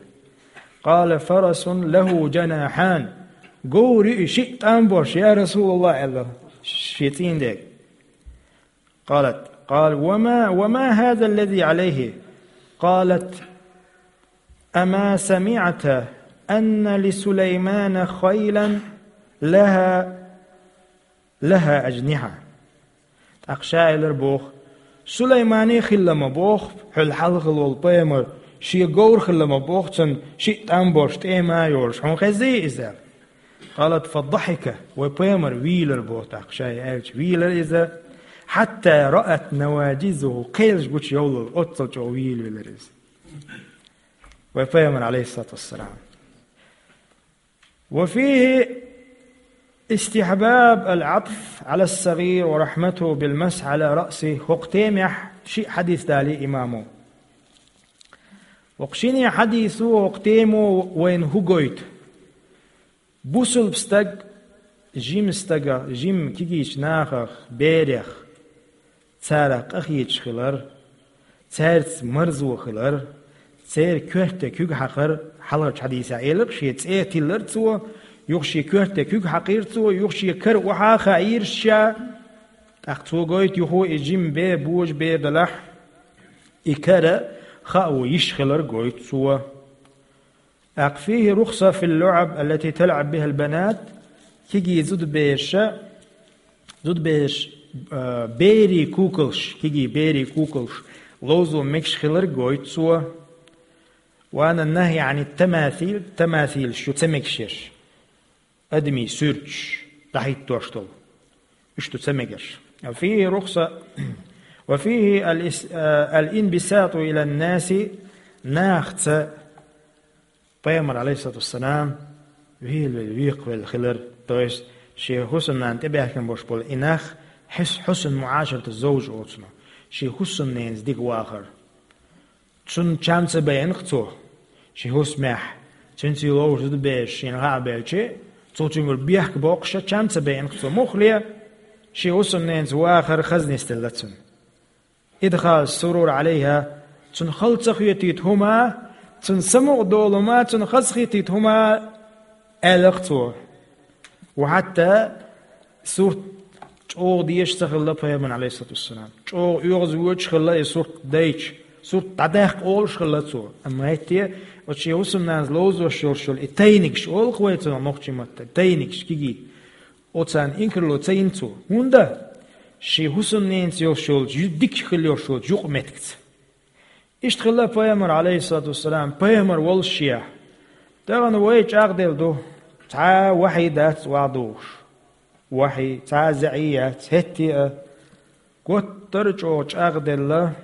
«قال: فرس له جناحان». Говр ю и шиъ тӀам болуш, я РасулаллахӀ, аьлла шен цӀийнан дега. قالت: قال: «وما، وما هذا الذي عليه؟» قالت: «أما سمعت أن لسليمان خيلا لها، لها أجنحة؟» ТӀаккха ша элира боху: «Сулаймана хилла ма боху, хьол хьалха волу пайхамар, шен говр хилла ма боху цуьнан шиъ тӀам болуш, тӀема а йолуш, хьуна хезний иза?» قالت: «فضحك», вай пайхамар вийлира боху тӀаккха, ша и аьлча вийлира иза, «حتى رأت نواجذه», кхелаш гучу йовлура, оццул чӀогӀа вийла велира иза. Вай пайхамар, عليه الصلاة والسلام. وفيه استحباب العطف على الصغير ورحمته بالمسح على رأسه. ХӀокху темехь шиъ хьадис далий имамо. ХӀокху шине хьадисо, хӀокху темо вайна хӀун гойту? Бусулба стаг жима стага, жима кегийчу нахах, берех, царах къахеташ хилар, цаьрца марзо хилар, Церан коьрте куьг хьакхар, хьалхарчу хьадисехь элира, шен цӀе тиллира цо, юха шен коьрте куьг хьакхийра цо, юха шен кара охьа а хаийра ша. ТӀаккха цо гойту юха и жима бер, божа бер делахь, и кара хаа йиш хилар гойту цо. ТӀаккха فيه رخصة في اللعب التي تلعب بها البنات, кегий зудаберша, зудаберш, а, берийн куколш, кегий берийн куколш ловзо мегаш хилар гойту цо. والنهي عن التماثيل, тамасилаш ю ца мегаш ерш, адамийн суьрташ дӀахӀиттош долу. Уьш ду ца мегаш. وفيه رخصة، وفيه الإس-، а, الانبساط إلى الناس, нахаца Пайхамар, алейхиссалату вассалам, вийлавелла, векхавелла хилар, то есть шен хӀусамнана тӀебаьхкина болуш болу и нах, хьус-, хьусна муӀашарат зовжа оцуно, шен хӀусамненца дика вахар. Цунна чам ца баьхкина цо, шен хӀусамехь, цуьнца ловзуш зудабераш шена хаа белча, цо цуьнгара бехк боккхуш чам ца баьхкина цо. Муххале, шен хӀусамненца вахар хаза нисделла цунна. إدخال السرور عليها, цунна хала ца хетийта хӀума, цунна самукъадолу хӀума, цунна хазахетийта хӀума, аьлла-кх цо. Ва хьатта сурт чӀогӀа дезаш ца хилла Пайхамарна, алейхиссалату вассалам. ЧӀогӀа оьгӀазвоьдуш хилла и сурт дайча, сурт дӀадаккха олуш хилла цо. Амма хӀетте, оцу шен хӀусамнанца ловзош йолуш йолу и тайнигаш олу-кх вай цунах нохчийн маттахь, тайнигаш, кегий. Оцарна инкарло ца йина цо. ХӀунда? Шен хӀусамненца йолуш йолчу, ю-, дика хила йолуш йолчу юкъаметтигца. Иштта хилла Пайхамар, алейхиссалату вассалам, Пайхамар волушшехь. Тахана вай чӀагӀделла ду, цхьа а вахьий дац охьадогӀуш. Вахьий, цхьа а заьӀий яц, хӀетте а. Готтара чӀогӀа чӀагӀделла,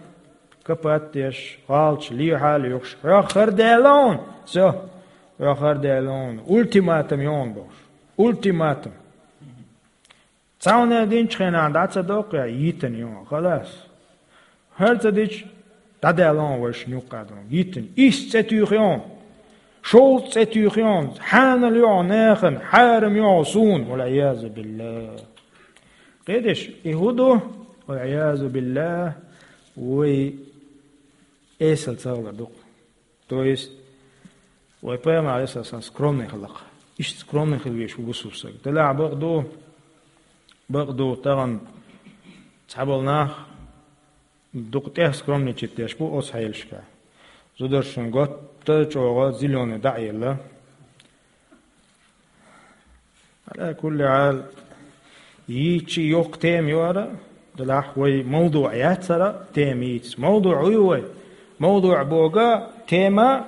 капат деш, гӀалаташ лехьа а лоьхуш, хьох хӀара даьлла хьуна, всё, хьох хӀара даьлла хьуна, ультиматум ю хьуна бохуш. Ультиматум. Цхьа хӀума динчу хенахь дӀа ца доккху, я йитина ю хьуна, халас. ХӀара ца дича, дӀадаьлла хьуна вайшинна юккъе ду хьуна, йитина. Исс цӀе туьйхи хьуна, шовзткъа цӀе туьйхи хьуна, хьанал ю хьуна нахана, хьарам ю хьуна суна, валӀиязу биллахӀ. Кхеташ, и хӀун ду? ВалӀиязу биллахӀ, вай эсала ца хилар ду-кх. То есть, вай Пайхамар, алейхиссалам, скромный хилла-кх. Иштта скромный хила везаш ву бусалба стаг. Делахь бакъ ду, бакъ ду, тахана цхьаболу нах дукха тӀех скромничать деш бу оцу хьелашкахь. Зударшна готта чӀогӀа зелёный дӀа а елла. Ала кулли хьал, йийцча йоккха тема ю хӀара, делахь вай мавдуӀ яц хӀара тема йийца. МавдуӀ хӀун ю вай? МавдуӀ боху тема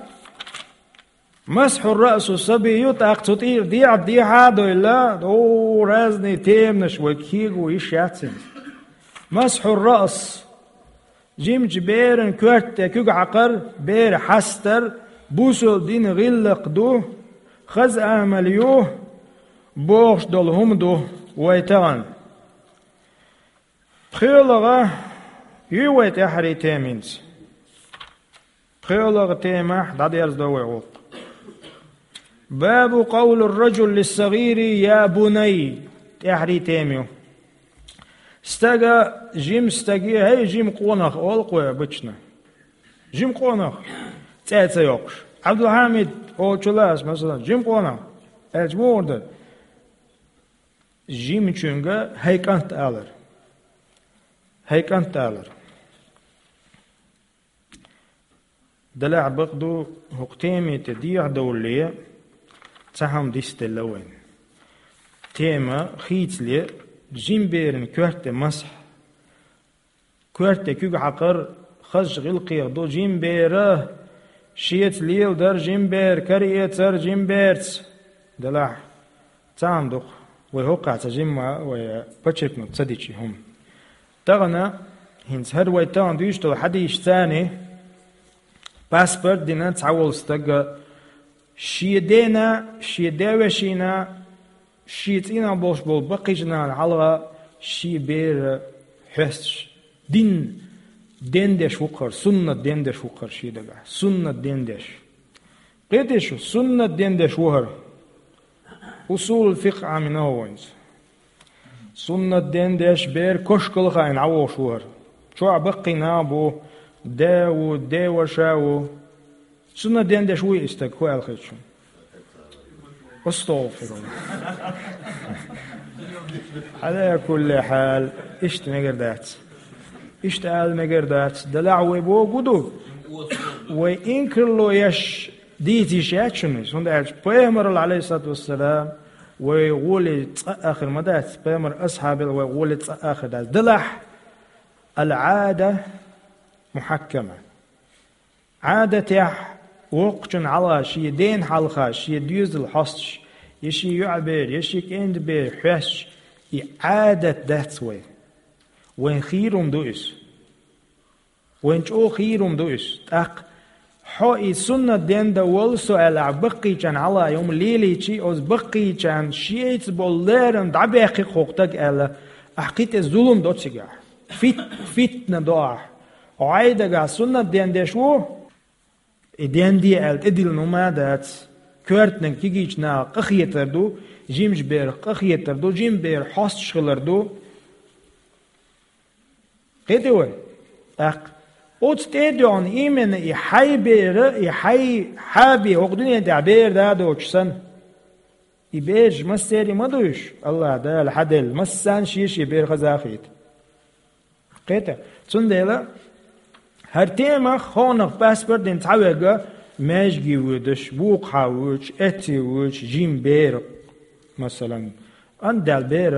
масхьу раъсу сабий ю, тӀаккха цу тӀера дехьа-дехьа а девлла, о, разный теманаш вайга кего йиш яц хӀинца. Масхьу раъс. Жимачу беран коьрта тӀе куьг хьакхар, бер хьастар, бусалба динан гӀиллакх ду, хаза амал ю, бохуш долу хӀума ду вай тахана. ПхоьалгӀа ю вай тӀаьххьарий тема хӀинца. ПхоьалгӀа темахь дӀадерзадо вай гӀуллакх. Бабу къавлур-раджули лиссагӀири: «Я бунай», тӀаьххьарий тема ю. Стага, жима стаге: «ХӀей, жима къонах», олу-кх вай обычно. Жима къонах, цӀе а ца йоккхуш. Абдулхьамид, олучул а ас, масала, жима къонах аьлча, муха ду? Жимачуьнга «хӀей, кӀант» алар. «ХӀей, кӀант» алар. Делахь бакъ ду, хӀокху теме тӀе дехьадовлале, цхьа хӀума дицделла вайна. Тема хийцале, жима беран коьрта тӀе масхь. Коьрта тӀе куьг хьакхар хазачу гӀиллакхех ду, жима бер шеца леладар, жима бер караэцар, жима берца. Делахь цхьа хӀума ду-кх, вай хӀокхахь цхьа жимма а вай подчеркнуть ца дича и хӀума. Тахана, хӀинца хӀара вай тахана дуьйцуш долу хьадисашца паспорт дина цхьа волу стага, шен дена, шен девешина, шен цӀийнах болуш болу баккхийчу нахана хьалха шен бер хьоьстуш, дин дендеш ву-кх хӀара, суннат дендеш ву-кх хӀара шен дагахь, суннат дендеш. Кхетий шу, суннат дендеш ву хӀара. Усулул фикъхӀ Ӏамийна вайца. Суннат дендеш бер кошкал а хаийна Ӏан вогӀуш ву хӀара. Чохь баккхий нах бу, да ву, деваша ву. Суннат ден деш вуй и стаг, хӀу аьлла хеташ хьуна? Астагъфируллахь. Ӏала кулли хьал, иштта мегар дац. Иштта ала мегар дац. Делахь вай богу ду? Вай инкарло еш дийца йиш яц шуна иза. ХӀунда аьлча пайхамарал, Ӏалайхиссалату вассалам, вай гӀоле цкъа а хир ма дац. Пайхамар асхьабел вай гӀоле цкъа а хир дац. Делахь, ал-Ӏада мухьаккама. Ӏадатехь воккхачун хьалха, шен ден хьалха, шен доьзал хьосташ, я шен йоӀ бер, я шен кӀентий бер хьоьсташ, и Ӏадат дац вай. Вайн хийрум ду иза. Вайн чӀогӀа хийрум ду иза. ТӀаккха хьо и суннат ден да волу со аьлла, ахь баккхийчарна хьалха и хӀума лелийчий, оцу баккхийчарна шеца болу лерам дӀабаьккхи-кх хӀокху стага аьлла, ахь кхин тӀе зулам до цигахь. Фит-, фитна до ахь. Хьо хьайн дагахь суннат ден деш ву, и ден де аьлла тӀедиллина хӀума а дац. Коьртаниг кегийчу нахах къахетар ду, жимачу берах къахетар ду, жима бер хьосташ хилар ду. Кхетий вай? ТӀаккха оцу тӀе а доьгӀна, именно и хьайн бер, и хьайн хьаби хӀокху дуьнен тӀехь бер да а доцуш санна. И бераш массеран ма ду уьш, АллахӀ Дала хьан делла, массарна шен-шен бер хаза а хета. Кхета. Цундела хӀара темах хӀокхунах паспорт дина цхьаверг маьждиге воьдуш, вукху хьан воьдуш, эццахь воьдуш, жима бер, масалан, ан даьлла бер,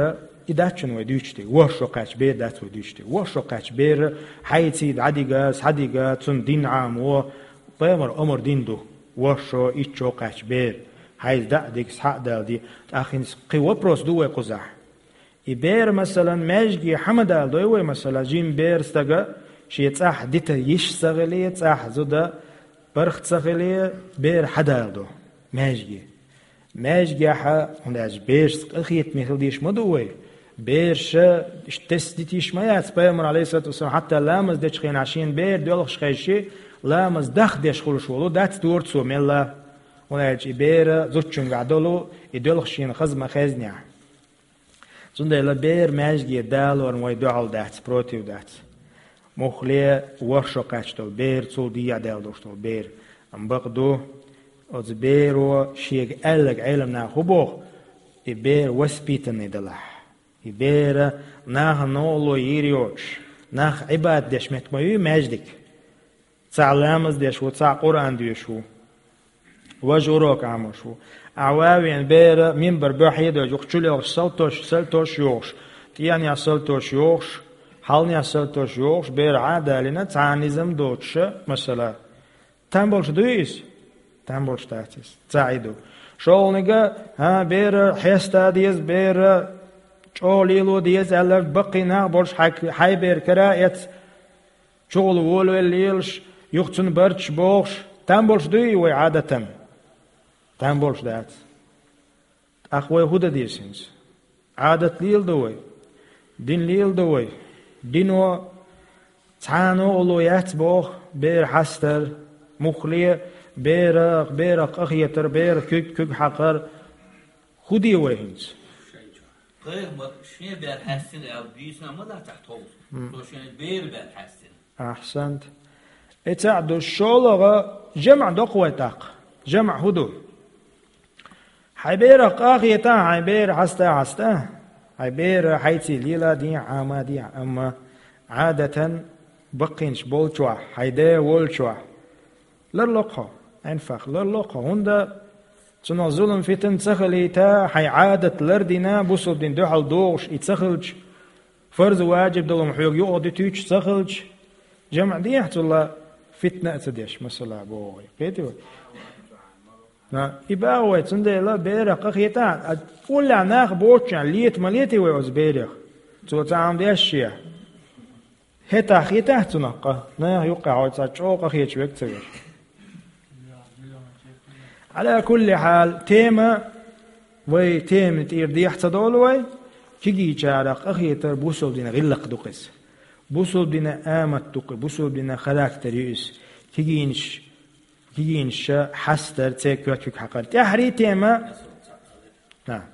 и дац шуна вай дуьйцуш дерг, ворхӀ шо кхаьчна бер дац вай дуьйцуш дерг. ВорхӀ шо кхаьчна бер хьайца дӀадига, схьадига, цунна дин Ӏамо, пайхамар омра дина ду. ВорхӀ шо, итт шо кхаьчна бер, хьайца дӀа а дига, схьа а даьлла де, тӀаккха хӀинца кхин вопрос ду вай кхузахь. И бер, масалан, маьждиге хьан ма даладой вай, масалан, жима бер стага шен цӀахь дита йиш ца хиле, цӀахь зуда паргӀат ца хиле, бер хьан даладо маьждиге. Маьждигехь, хӀунда аьлча берашца къахетаме хила дезаш ма ду вай. Бераша иштта тесна дита йиш ма яц, пайхамар, Ӏалайхиссалату вассалам, хьатта ламаз дечу хенахь шена бер доьлхуш хезча, ламаз дахдеш хуьлуш волу дац дора цо мелла. ХӀунда аьлча и бер зудчуьнгахь долу, и доьлхуш шена хаза ма хезнехь. Цундела бер маьждиге далорна вай дуьхьал дац, против дац. Муххале ворхӀ шо кхаьчна долу бер, цул дехьа даьлла долуш долу бер. Амма бакъ ду, оцу беро шега аьлларг Ӏеламнаха хӀун боху, и бер воспитанный далахь. И бер нахана новкъарло йийр йоцуш, нах Ӏибадат деш меттиг ма ю маьждиг. Цхьаъ ламаз деш ву, цхьаъ Къуръан доьшуш ву, важа урок Ӏамош ву. Ахьа ван веана бер минбар буьхье а дойуш, юха чулелхаш салтош, салтош йохуш, тӀенех салтош йохуш, хьалнех салтош йохуш, бер Ӏа а далийна, цхьа а низам доцуша, масала. Там болуш дуй иза? Там болуш дац иза. Цхьаъ и ду. ШолгӀаниг, хӀа, бер хьеста деза, бер чӀогӀа лело деза аьлла, баккхий нах болуш хьай, хьайн бер кара а эцна, чугӀула волавелла лелаш, юха цунна барчаш бохуш, там болуш дуй вай Ӏадатан? Там болуш дац. ТӀаккха вай хӀун дан деза хӀинца? Ӏадат леладо вай? Дин леладо вай? Дино цхьа а новкъарло яц боху, бер хьастар, муххале, берах, берах къахетар, берах куьг, куьг хьакхар. ХӀун де вай хӀинца? Пайхамар шен бер хьаьстина аьлла дийцина ма дац ахь тховса. М. Цо шен бер бер хьаьстина. Ахьсант. И цхьаъ ду, шолгӀа, жамӀ доккху вай тӀаккха. ЖамӀ хӀун ду? Хьайн берах къахетахь, хьайн бер хьаста, хьаста. Хьайн бер хьайций леладехь, Ӏамадехь, амма Ӏадатан баккхийнаш болчохь, хьайн да волчохь. Ларло хьо, Ӏинфах, ларло хьо, хӀунда цунах зулам, фитна ца хилийта, хьайн Ӏадат лардина, бусулба дин дуьхьал догӀуш и ца хилча, фарз, важиб долу хьоьга юкъа дуьтуьйтуш ца хилча, жамӀ дехьа цул а фитна а ца деш, масала, боху вай. Кхетий вай? На, и баха вай, цундела берах къахетахь, а уллехь нах боцучохь лета ма летий вай оцу берех. Цо цхьа хӀума деш шен. ХӀетахь хетахь цунах къа, наха юккъехь хьо цхьа чӀогӀа къахеташ верг ца веш. Ӏала кулли хьал, тема, вай тема тӀера дехьа ца долу вай, кегийчарах къахетар бусулба дина гӀиллакх ду-кх иза. Бусулба дина амат ду-кх, бусулба дина характер ю иза. Кегийнаш, кегийнаша хьастар, церан коьртиг хьакхар. ТӀаьххьарий тема. На.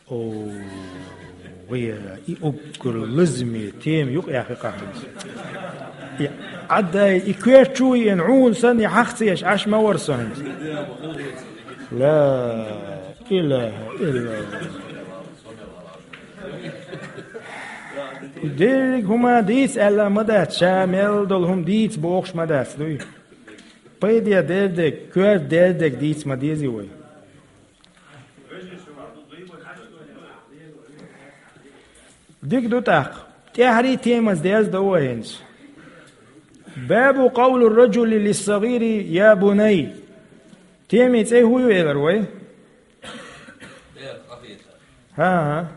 О. Вай, и уггар лазаме тема юкъа яхи къахьанца. И Ӏаддай, и коьрта чу йиъна Ӏуна санна, и хьахцеш Ӏаш ма вар со хӀинца. Ла илаха иллаллахӀ. Деррига хӀума дийца аьлла ма дац, ша мел долу хӀума дийца бохуш ма дац, дуй? Пайде дердег, коьрта дердег дийца ма дезий вай. Дика ду тӀаккха. ТӀаьхьарий темаца деза ду вай хӀинца. Бабу къавлу раджули лиссагӀири: «Я бунай». Темин цӀе хӀун ю элира вай? ХӀан-хӀа.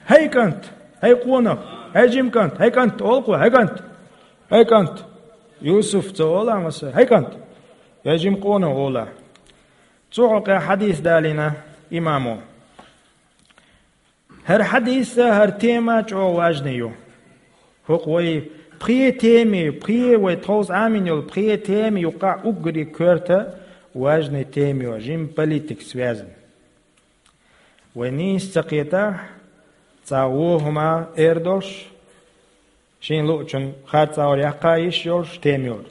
«ХӀай кӀант, хӀай къонах, хӀай жима кӀант, хӀай кӀант», олу кхо, «хӀай кӀант, хӀай кӀант». Юсуф ца олу маса, «хӀай кӀант, я жима къонах», олу. Цу хьокъехь хьадис далийна имамо. ХӀара хьадис а, хӀара тема а чӀогӀа важный ю. ХӀокху вай пхе теме, пхе вай тховса Ӏамийна йолу пхе теме юккъахь уггаре коьрта важный тема ю, жима политика связана. Вай нийса ца кхетахь, цхьа вон хӀума эр долуш, шен луучун харцахьара яккха йиш йолуш тема йолу.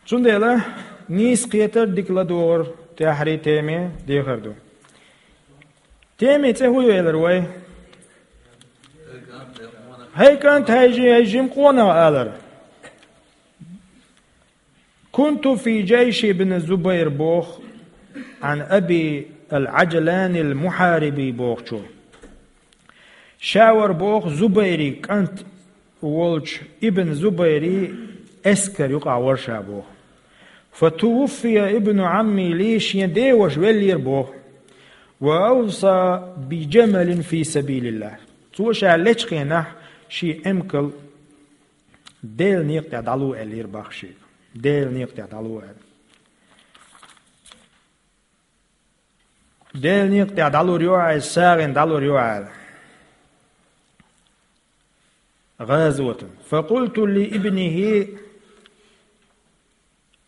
Цундела нийса кхетар, дика ладогӀар тӀаьхьарий теме дехар ду. Темин цӀе хӀун ю элира вай? «ХӀай кӀант, хӀай жи-, хӀай жима къонах», алар. «Кунту фи джайши ибн Зубайр», боху, «Ӏан Аби ал-Аджлани ал-Мухьариби», бохучо. Ша вара боху Зубайри кӀант волчу Ибн Зубайри эскар юкъахь вара ша боху. «Фа тувуффия ибну Ӏамми ли», шен ден ваша веллера боху. «Ва авса би джамалин фи сабилиллахь». Цо ша лечу хенахь шен эмкал Делан некъа тӀехь дӀало аьллера боху шега. Делан некъа тӀехь дӀало аьлла. Делан некъа тӀехь дӀалур ю хьо, сагӀина дӀалур ю хьо аьлла. ГӀазотан. «Факъулту ли ибнихи»,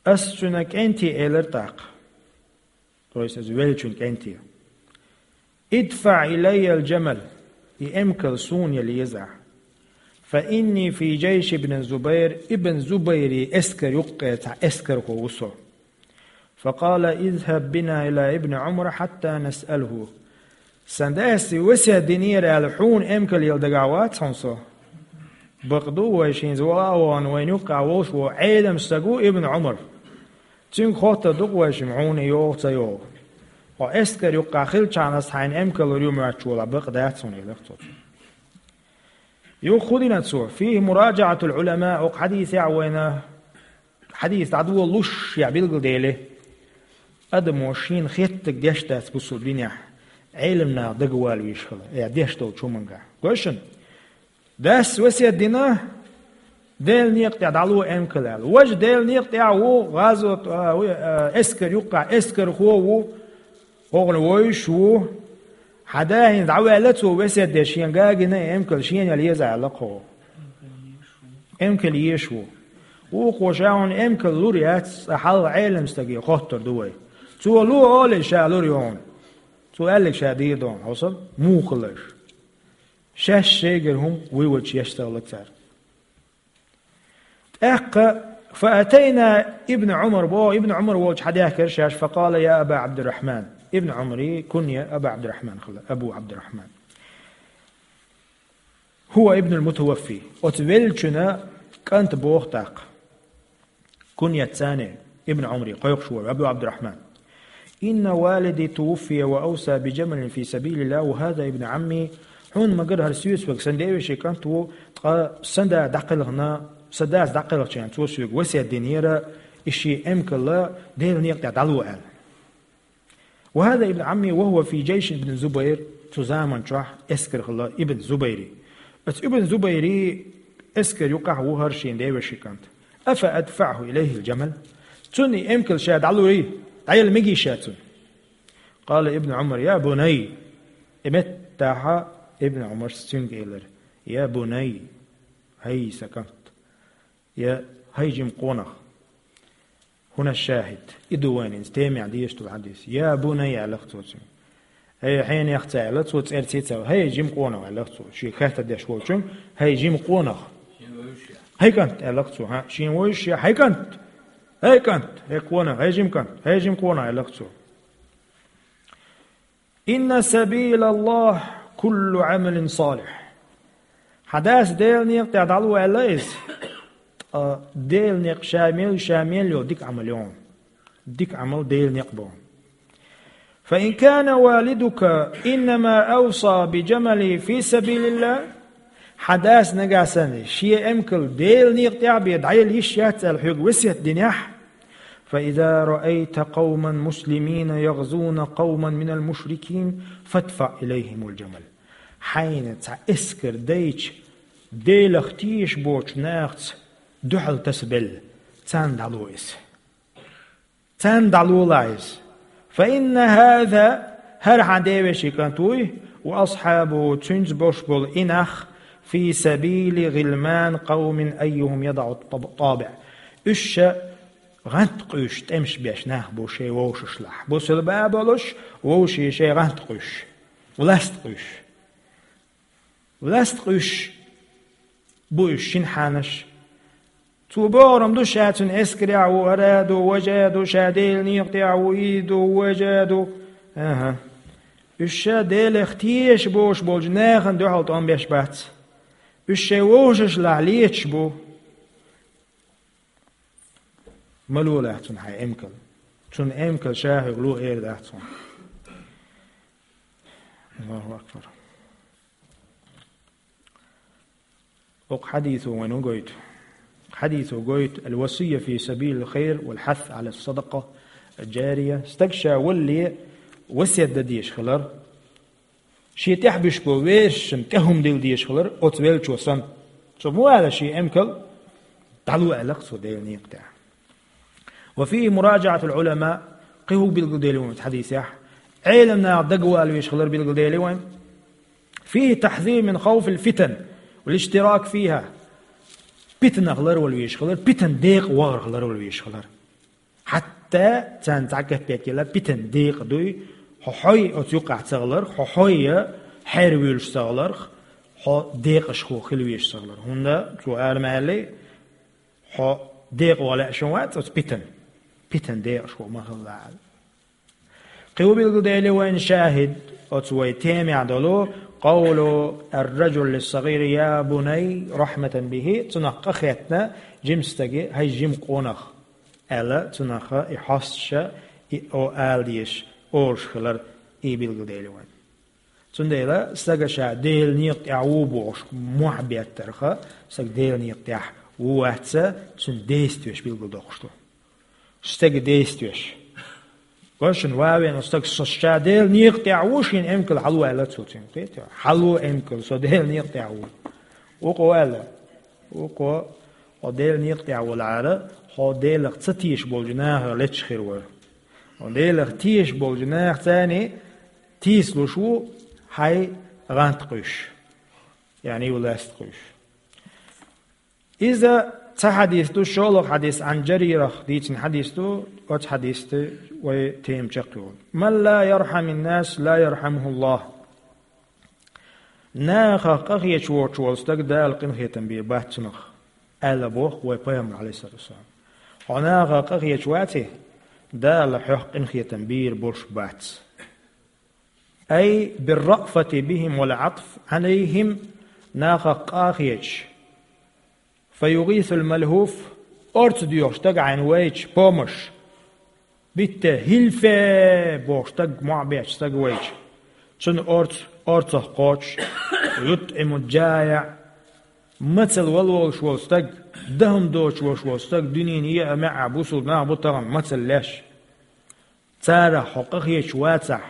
ас цуьнан кӀанте элира тӀаккха. То есть, ас веллачун кӀанте. «ИдфаӀ илайя ал-джамал», и эмкал суна яла еза ахь. «Фа инни фи джайши ибн Зубайр», ибн Зубайри эскар юккъе цхьа эскархо ву со. «Факъала: изхаб бина ила ибн Ӏумар хьатта насъалху». Сан дас весет динера аьлла, хьуна эмкал яла дагахь вац хьуна со. Бакъду вай шен зола а вахана, вайна юккъехь волуш ву Ӏелам стаг ву Ибн Ӏумар. Цуьнга хоттур ду-кх вай шимма, хьуна йогӀу, ца йогӀу. Хьо эскар юккъехь хилчахьана ас хьайна эмкал лур ю моьттуш волахь, бакъ дац хьуна, элира цо. Юха хӀун дина цо? «Фихи мураджаӀатул Ӏулама», окху хьадисехь вайна хьадис дӀадолалуш я билгалдели, адамо шена хеттарг деш дац бусул динехь, Ӏелам наха дагавала везаш хила, я деш долчу хӀумангахь. Гой шуна? Дас весет дина, Делан некъа тӀехь дӀало эмкал аьлла. Важа Делан некъа тӀехь ву, гӀазот, а, ву, а, эскар юккъехь, эскархо ву, хӀокхуьнан вовзаш ву. Хьан да хӀинца дӀаваьлла цо весет деш, шен гагина эмкал шена яла еза аьлла кхо. Эмкал езаш ву. Вукхо ша хьуна эмкал лур яц, цкъа хьалха Ӏелам стаге хоттур ду вай. Цо ло олий, ша лур ю хьуна. Цо аьлларг ша дийр ду хьуна, хьовсал, муха хилла аша. Шаьш шайгара хӀума вуй вачу еш ца хилла цара. ТӀаккха, «Фа атайна ибн Ӏумар», боху, Ибн Ӏумар волчу хьадаьхкира шаьш, «факъала: я Аба Ӏабдуррахьман». Ибн Ӏумари кунья Аба Ӏабдуррахьман хилла, Абу Ӏабдуррахьман. «ХӀува ибнул мутаваффи». Оцу веллачуьнан кӀант боху тӀаккха. Куньят цани Ибн Ӏумари кхойкхуш вара, Абу Ӏабдуррахьман. «Инна валиди тувуффия ва авса би джамалин фи сабилиллахь, ва хаза ибн Ӏамми». Хьуна ма-гарра, хӀара соьца верг сан девешин кӀант ву, ткъа сан да дӀакхелхина, сан дас дӀакхелхича цо соьга весет динера, и шен эмкал Делан некъа тӀехь дӀало аьлла. «Ва хаза ибн Ӏамми ва хӀува фи джайши ибн Зубайр», цу заман чохь эскар хилла Ибн Зубайри. Оцу Ибн Зубайри эскар юккъехь ву хӀара шен девешин кӀант. «Афа адфаӀху илайхил джамал?» Цунна и эмкал ша дӀалур ю, дӀаяла мегий ша цунна? «Къала Ибн Ӏумар: я бунай». И меттахьа Ибн Ӏумарс цуьнга элира: «Я бунай, хӀай сан кӀант, я хӀай жима къонах». ХӀуна шахӀид. И ду вайна хӀинца темехь дезаш долу хьадис. «Я бунай», аьлла-кх цо цуьнга. «ХӀей, хьенех», — аьлла цо, цӀерца ца, «хӀей, жима къонах», — аьлла цо, шега хаттар деш волчунга, «хьей, жима къонах». «ХӀей, кӀант», — аьлла цо, хӀа, шен вовшашка, «хьей, кӀант, хӀей, кӀант, хӀей, къонах, хӀей, жима кӀант, хӀей, жима къонах», — аьлла цо. «إن سبيل الله كل عمل صالح». Хьа дас Делан некъа тӀа дӀало аьлла иза. Ткъа Делан некъ ша мел, ша мел йолу дика Ӏамал йолу. Дика Ӏамал Делан некъ боху. «فإن كان والدك إنما أوصى بجمل في سبيل الله». Хьа дас нагахь санна, шен эмкал Делан некъа тӀехь бен дӀаяла йиш яц аьлла хьоьга весет динехь, «فإذا رأيت قوما مسلمين يغزون قوما من المشركين فادفع إليهم الجمل». Хьайна цхьа эскар дайча, Делах тешаш боцчу нахаца дуьхьал тасабелла, царна дӀало иза. Царна дӀалолахь иза. «فإن هذا», хӀара хьан девешин кӀант вуй, «وأصحابه», цуьнца болуш болу и нах, «في سبيل غلمان قوم أيهم يضع الطابع». Уьш ша гӀанткъуьйш тӀемаш беш нах бу шайн вовшашлахь. Бусалба а болуш, вовшийн шайн гӀанткъуьйш, власть къуьйш. Власть къуьйш бу уьш, шина хьанаш. Цо бохург ду, ша цуьнан эскарехь ву, ара а ду, важа а ду, ша Делан некъа тӀехь ву, и ду, важа а ду. АхӀа. Уьш ша Делах тешаш боцуш болчу нахана дуьхьал тӀом беш бац. Уьш шайн вовшашлахь леташ бу. Ма лолахь цунна хьайн эмкал. Цунна эмкал ша хьоьга ло эр дац хьуна. Аллаху акбар. Оцу хьадисо вайна хӀун гойту? Хьадисо гойту: «الوصية في سبيل الخير والحث على الصدقة الجارية». Стаг ша валале весет дан дезаш хилар, шен тӀехь буьсуш болу вешан тӀе хӀума дилла дезаш хилар, оцу веллачо санна. Цо ма вала шен эмкал, дӀало аьлла-кх цо Делан некъа тӀехь. «وفيه مراجعة العلماء», кхин хӀун билгалдели вайн оцу хьадисехь? Ӏеламнаха дагавала везаш хилар билгалдели вайн. «فيه تحذير من خوف الفتن والاشتراك فيها». Питанах ларвала везаш хилар, питан декъа вахарх ларвала везаш хилар. Хьатта царна цхьа капек елла, питан декъа дуй, хьо хьой оцу юкъахь ца хиларх, хьо хьой хьервуьйлуш ца хиларх, хьо декъашхо хила везаш ца хиларх. ХӀунда цо ара ма аьллий, хьо декъа вала лаьа шун вац оцу питан. Питан декъашхо ма хилла аьлла. Кхин хӀун билгалдели вайн шахӀид оцу вай темехь долу: «قول الرجل للصغير يا بني رحمة به», цунах къахетта жима стаге: «ХӀай жима къонах», аьлла, цунах и хьосташа, и о ала дезаш, олуш хилар, и билгалдели вайн. Цундела стага ша Делан некъа тӀехь ву бохуш мохь беттарха, стаг Делан некъа тӀехь ву вац, цуьнан действиеш билгалдоккхуш ду. Стага действиеш. Гой шуна, ван вен стаг, со ша Делан некъа тӀехь ву, шен эмкал хьало аьлла цо цуьнга. Кхетий? Хьало эмкал, со Делан некъа тӀехь ву. Вукхо аьлла, вукхо, хьо Делан некъа тӀехь валахьара, хьо Делах ца тешаш болчу нахах леташ хир вара. Хьо Делах тешаш болчу нахаца тийсалуш ву хьайн гӀант къуьйш, яъни власть къуьйш. Иза цхьа хьадис ду, шолгӀа хьадис Ӏан Жарирах дийцина хьадис ду, оцу хьадисца вай тема чекхйолу. «من لا يرحم الناس لا يرحمه الله». Нахах къахеташ воцуш волу стаг Дала къинхетам бийр бац цунах, аьлла боху вай Пайхамар, Ӏалайхиссалату вассалам. Хьо нахах къахеташ ваций, Дала хьох къинхетам бийр болуш бац. «أي بالرأفة بهم والعطف عليهم», нахах къа а хеташ, «فيغيث الملهوف», орца доьхуш стаг хьайна вайча, помощь, битте, «هلفا» бохуш стаг, мохь бетташ стаг вайча, цунна орца, орцах кхочуш, «ويطعم الجائع», мацалла вала волуш волу стаг, дахам доцуш волуш волу стаг, дуьненан еа а, маьӀӀа а бусулба нах бу тахана мацалла леш. Царах хьо къахеташ вацахь,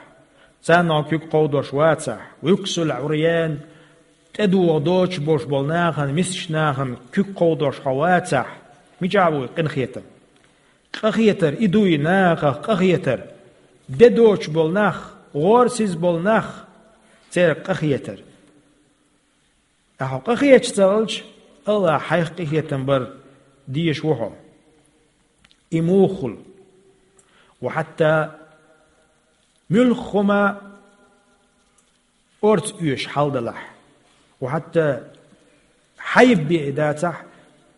царна хьо куьг кховдош вацахь, «ويكسو العريان», тӀедогӀа доцуш болуш болу нахана, мискачу нахана куьг кховдош хьо вацахь, мичахь ву и къинхетам? Къахетар и дуй, нахах къахетар. Де доцуш болу нах, гӀорасиз болу нах, церан къахетар. Ахьа хьо къахеташ ца хилча, Аллахь хьайх къинхетам бар дезаш ву хьо. И муха хуьлу? Ва хьатта муьлхха хӀума орца оьшуш хьал далахь. Ва хьатта хьайба бе и дацахь,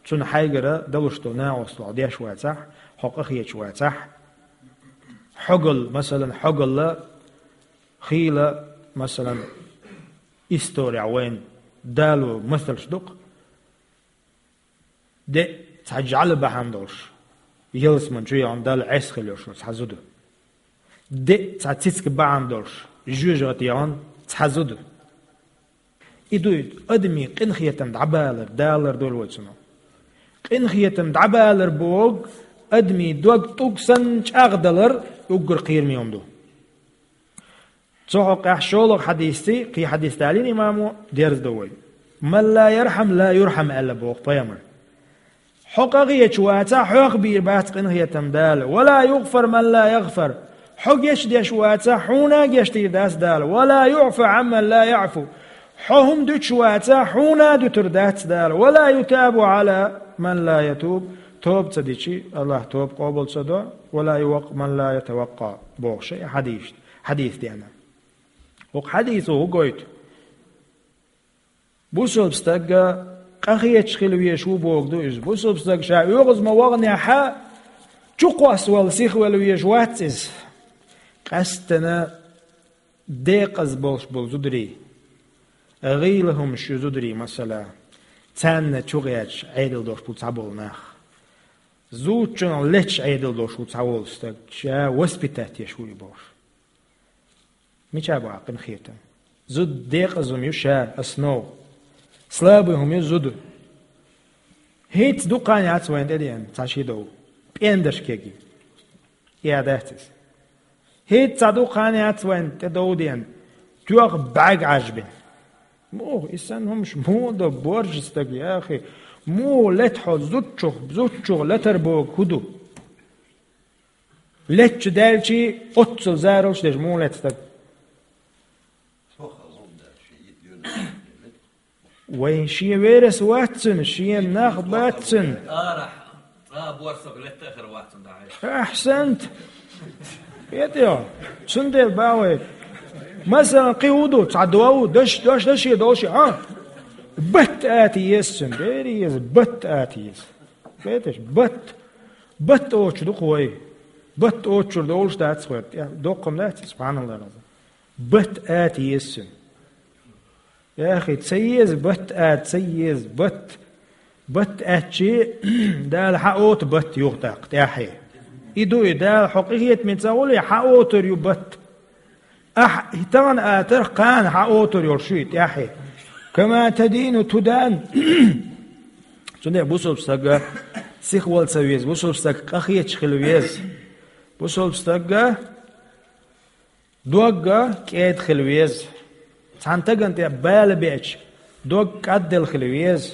цунна хьайгара далуш долу накъосталла деш вацахь, хьо къахеташ вацахь, хьогалла, масалан, хьогалла хийла, масалан, история вайн дало масалш дукха, де цхьа жӀаьла бахьана долуш, ялсаман чу яхана Далла Ӏеса хила йолуш цхьа зуда. Де цхьа цицка бахьана долуш, жоьжахати яхана цхьа зуда. И ду и адамийн къинхетам дӀабалар, далар долу вай цунах. Къинхетам дӀабалар боху, адамийн дог тӀулг санна чӀагӀдалар, уггар кхераме хӀума ду. Цу хьокъехь шолгӀа хьадисций, кхин хьадис далийна имамо, дерзадо вай. «Ман ла ярхьам, ла юрхьам», аьлла боху пайхамар. Хьо къахеташ вацахь, хьох бийр бац къинхетам Дала. «Ва ла югъфар ман ла ягъфар». Хьо гечдеш вацахь, хьуна гечдийр дац Дала. «Ва ла юъфа амман ла яъфу». Хьо хӀума дуьтуш вацахь, хьуна дуьтур дац Дала. «Ва ла ютабу ала ман ла ятуб». Тоба ца дичи, Аллах тоба къобал ца до. «Ва ла ювакъ ман ла ятавакъа», боху шайн хьадис, хьадис дена. ХӀокху хьадисо хӀу гойту? Бусалба стаг къахеташ хила везаш ву боху ду иза. Бусалба стаг ша оьгӀаз ма ваханехьа, чукхоссавала сихвала везаш вац иза. Къаьсттина декъаза болуш болу зударий, гӀийла хӀумаш ю зударий, масала, царна чу гӀерташ Ӏедал долуш бу цхьаболу нах. Зудчунах леташ Ӏедал долуш ву цхьаволу стаг, ша воспитать еш ву и бохуш. Мича бу хьан къинхетам? Зуда декъаза хӀума ю ша, основа. Слабый хӀума ю зуда. ХӀинца дукха хан яц вайна тӀедеана цхьа ши дов. ПӀендарш кеги. И а дац иза. ХӀинца цхьа дукха хан яц вайна тӀедов деана. Тоьх бӀаьрг Ӏаж бина. Муха, и санна хӀумаш муха до боржа стаг, яхи? Муха лета хьо зудчух, зудчух летар боху хӀу ду? Летча даьлчий, оццул заралш деш муха лета стаг? Вайн шен верас вац цуьнан, шен нах бац цуьнан. Арахь, цкъа борсах летта а хир вац цуьнан дӀа. Ахьсант! ХӀета йо, цундела бан вай. Масалан, кхин хӀу ду, цхьа дов, даш, дош, даше долуш, а? Батт ата еза цуьнан, бери еза, батт ата еза. Кхеташ, батт. Батт оцу ду-кх вай. Батт оцу чуьра долуш дац хӀоьтту. Доккхам дац, субханаллах. Батт ата еза цуьнан. Яхи, ца еза батт ата, ца еза батт. Батт аьттачи, Дала хьан ота батт юха тӀаккха, тӀаьхье. И ду и, Дала хьо къинхетаме ца гӀуле, хьан отар ю батт. Ахь тахана атарх кхана хьан отар йолуш ю и тӀаьхье. Кама тадину тудан. Цундела бусалба стага сихвала ца веза, бусалба стаг къахеташ хила веза. Бусалба стага догга кӀеда хила веза. Цхьана тагана тӀе бала беача, дог кӀадделла хила веза.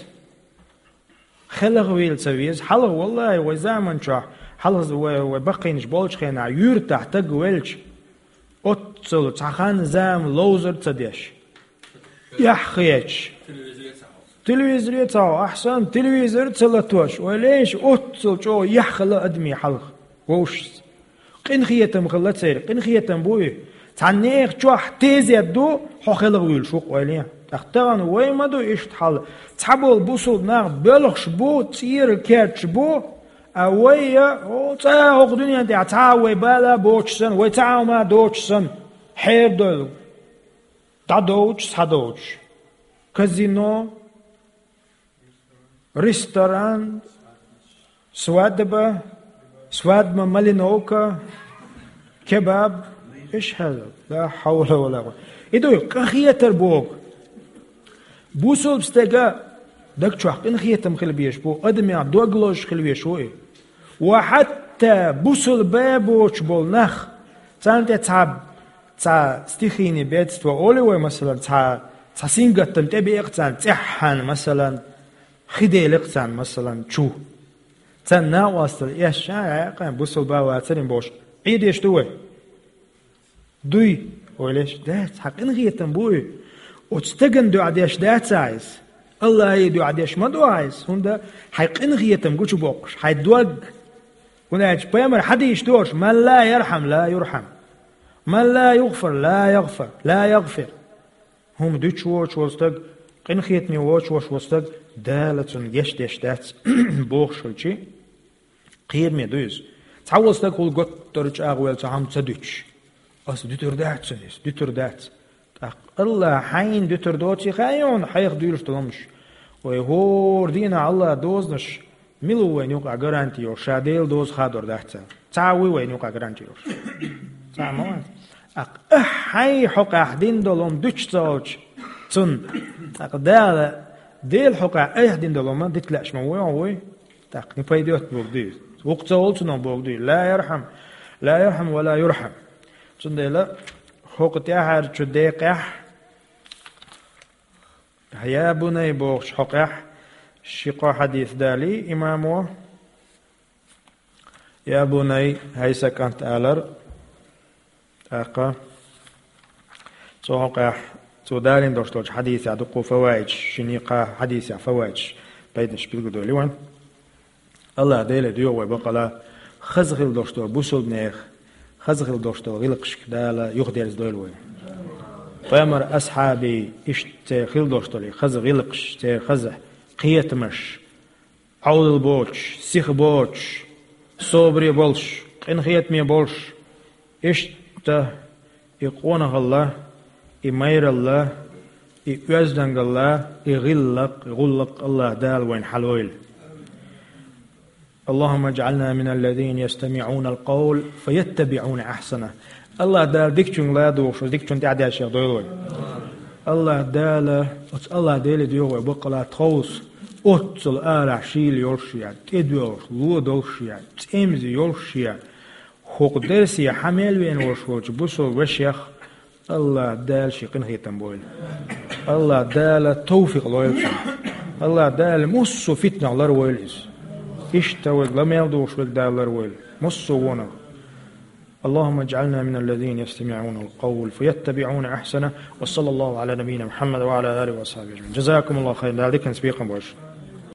ХелахӀвийла ца веза. Хьалха, валлахӀи, вай заман чохь, хьалха вай, вай баккхийнаш болчу хенахь, юьртахь таг велча, оццул цхьа хан зама ловзар а ца деш. Эхь хеташ. Телевизоре ца хьо, ахьсан, телевизор а ца латош, вай леш оццул чӀогӀа яхь хила адамийн хьалха вовшашца. Къинхетам хилла церан, къинхетам бу и. Цхьана нехан чохь тезет ду, хьо хелахь вуьйлуш ву-кх ойла. ТӀаккха тахана вай ма ду иштта хьал. Цхьаболу бусулба нах боьлхуш бу, цӀера керташ бу, а вай я, о, цкъа а хӀокху дуьнен тӀехь цхьа а вай бала а боцуш санна, вай цхьа а хӀума а доцуш санна, хьерадойла. ДӀадовчу, схьадовчу. Казино, ресторан, свадьба, свадьба малиновка, кебаб, иш хьал. Ла хьавла ва ла къу-, и дуй, къахетар боху. Бусулба стага даг чохь къинхетам хила безаш бу, адамех дог лозуш хила везаш ву и. Ва хьатта бусулба боцуш болу нах, царна тӀе цхьа, цхьа стихийный бедство олу вай, масалан, цхьа, цхьа сингаттам тӀебеа-кх царна цӀеххьана, масалан, хи дели-кх царна, масалан, чу. Царна накъосталла эшна, э, кхин бусулба вацарин бохуш, Ӏийр деш ду вай? Дуй, ойла еш, дац, хьан къинхетам бу и. Оцу стеган дуьхьа деш дац ахь иза. Аллахьан дуьхьа деш ма ду ахь иза, хӀунда хьайн къинхетам гучубоккхуш, хьайн дог. ХӀунда аьлча пайхамар хьадийш дош: «Ман ла ярхьам, ла юрхьам. Ман ла югъфар, ла ягъфар, ла ягъфир». хӀума дуьтуш воцуш волу стаг, къинхетаме воцуш волу стаг, Дала цунна гечдеш дац бохуш хилча, кхераме ду иза. Цхьа волу стаг хӀума гуттар а чӀагӀвелла цхьа хӀума ца дуьтуш, ас дуьтур дац цунна иза, дуьтур дац. ТӀаккха АллахӀа хьайна дуьтур доций хаьий хьуна хьайх дуьйлуш долу хӀумнаш? Вай хӀора дийнахь АллахӀан дозанаш мила ву вайна юкъахь гаранти йолуш, ша Делан доза хадор дац аьлла? Цхьа а вуй вайна юкъахь гаранти йолуш? Цхьа а ма вац. ТӀаккха ахь хьайн хьокъехь дина долу хӀума дуьтуш ца волчу цунна, тӀаккха Дала Делан хьокъехь айхьа дина долу хӀума дита лаьаш ма вуй хьо, вуй? ТӀаккха не пайдет боху дуй. Вукху ца волу цунах боху дуй. Ла ярхьам, ла ярхьам ва ла юрхьам. Цундела хӀокху тӀаьхьарчу декъехь, «Я бунай» бохучу хьокъехь ши-кхо хьадис далий имамо. «Я бунай», хӀай сан кӀант, алар. ТӀаккха цу хьокъехь, цо далийна долуш долчу хьадисехь дуккха фаваидаш, шина-кхаа хьадисехь фаваидаш, пайданаш билгалдойла вайн. АллахӀ Деле доьху вай бакъала, хаза хила долуш долу бусулбанех, хаза хила долуш долу гӀиллакхашка Дала юхадерзадойла вай. Пайхамар асхьабий иштта церан хила долуш долу хаза гӀиллакхаш, церан хаза кхетамаш, Ӏовдал боцуш, сиха боцуш, собаре болуш, къинхетаме болуш, иштта и къонахалла, и майралла, и оьздангалла, и гӀиллакх, и гӀуллакх АллахӀ Дала вайна хьалойла. اللهم اجعلنا من الذين يستمعون القول فيتبعون أحسنه. АллахӀ Дала дикачуьнга ладугӀуш, дикачунна тӀаьхьадешшех дойла вай. АллахӀ Дала, оцу АллахӀ Деле доьху вай баккъала тховса, оццул арахь шийла йолуш я, тӀедоьгӀуш, ло долуш я, цӀемза йолуш я, хӀокху дерсе хьан мел веана волуш волчу бусалба вешех АллахӀ Дала шен къинхетам бойла. АллахӀ Дала тавфикъ лойла цунна. АллахӀ Дала муссо а фитнах ларвойла иза. Иштта вайга ла мел духуш вайга Дала ларвойла. Муссо а вонах. اللهم اجعلنا من الذين يستمعون القول فيتبعون أحسنه. وصلى الله على نبينا محمد وعلى آله وصحبه أجمعين. جزاكم الله خيرا. Дала диканца бекхам бойла шун.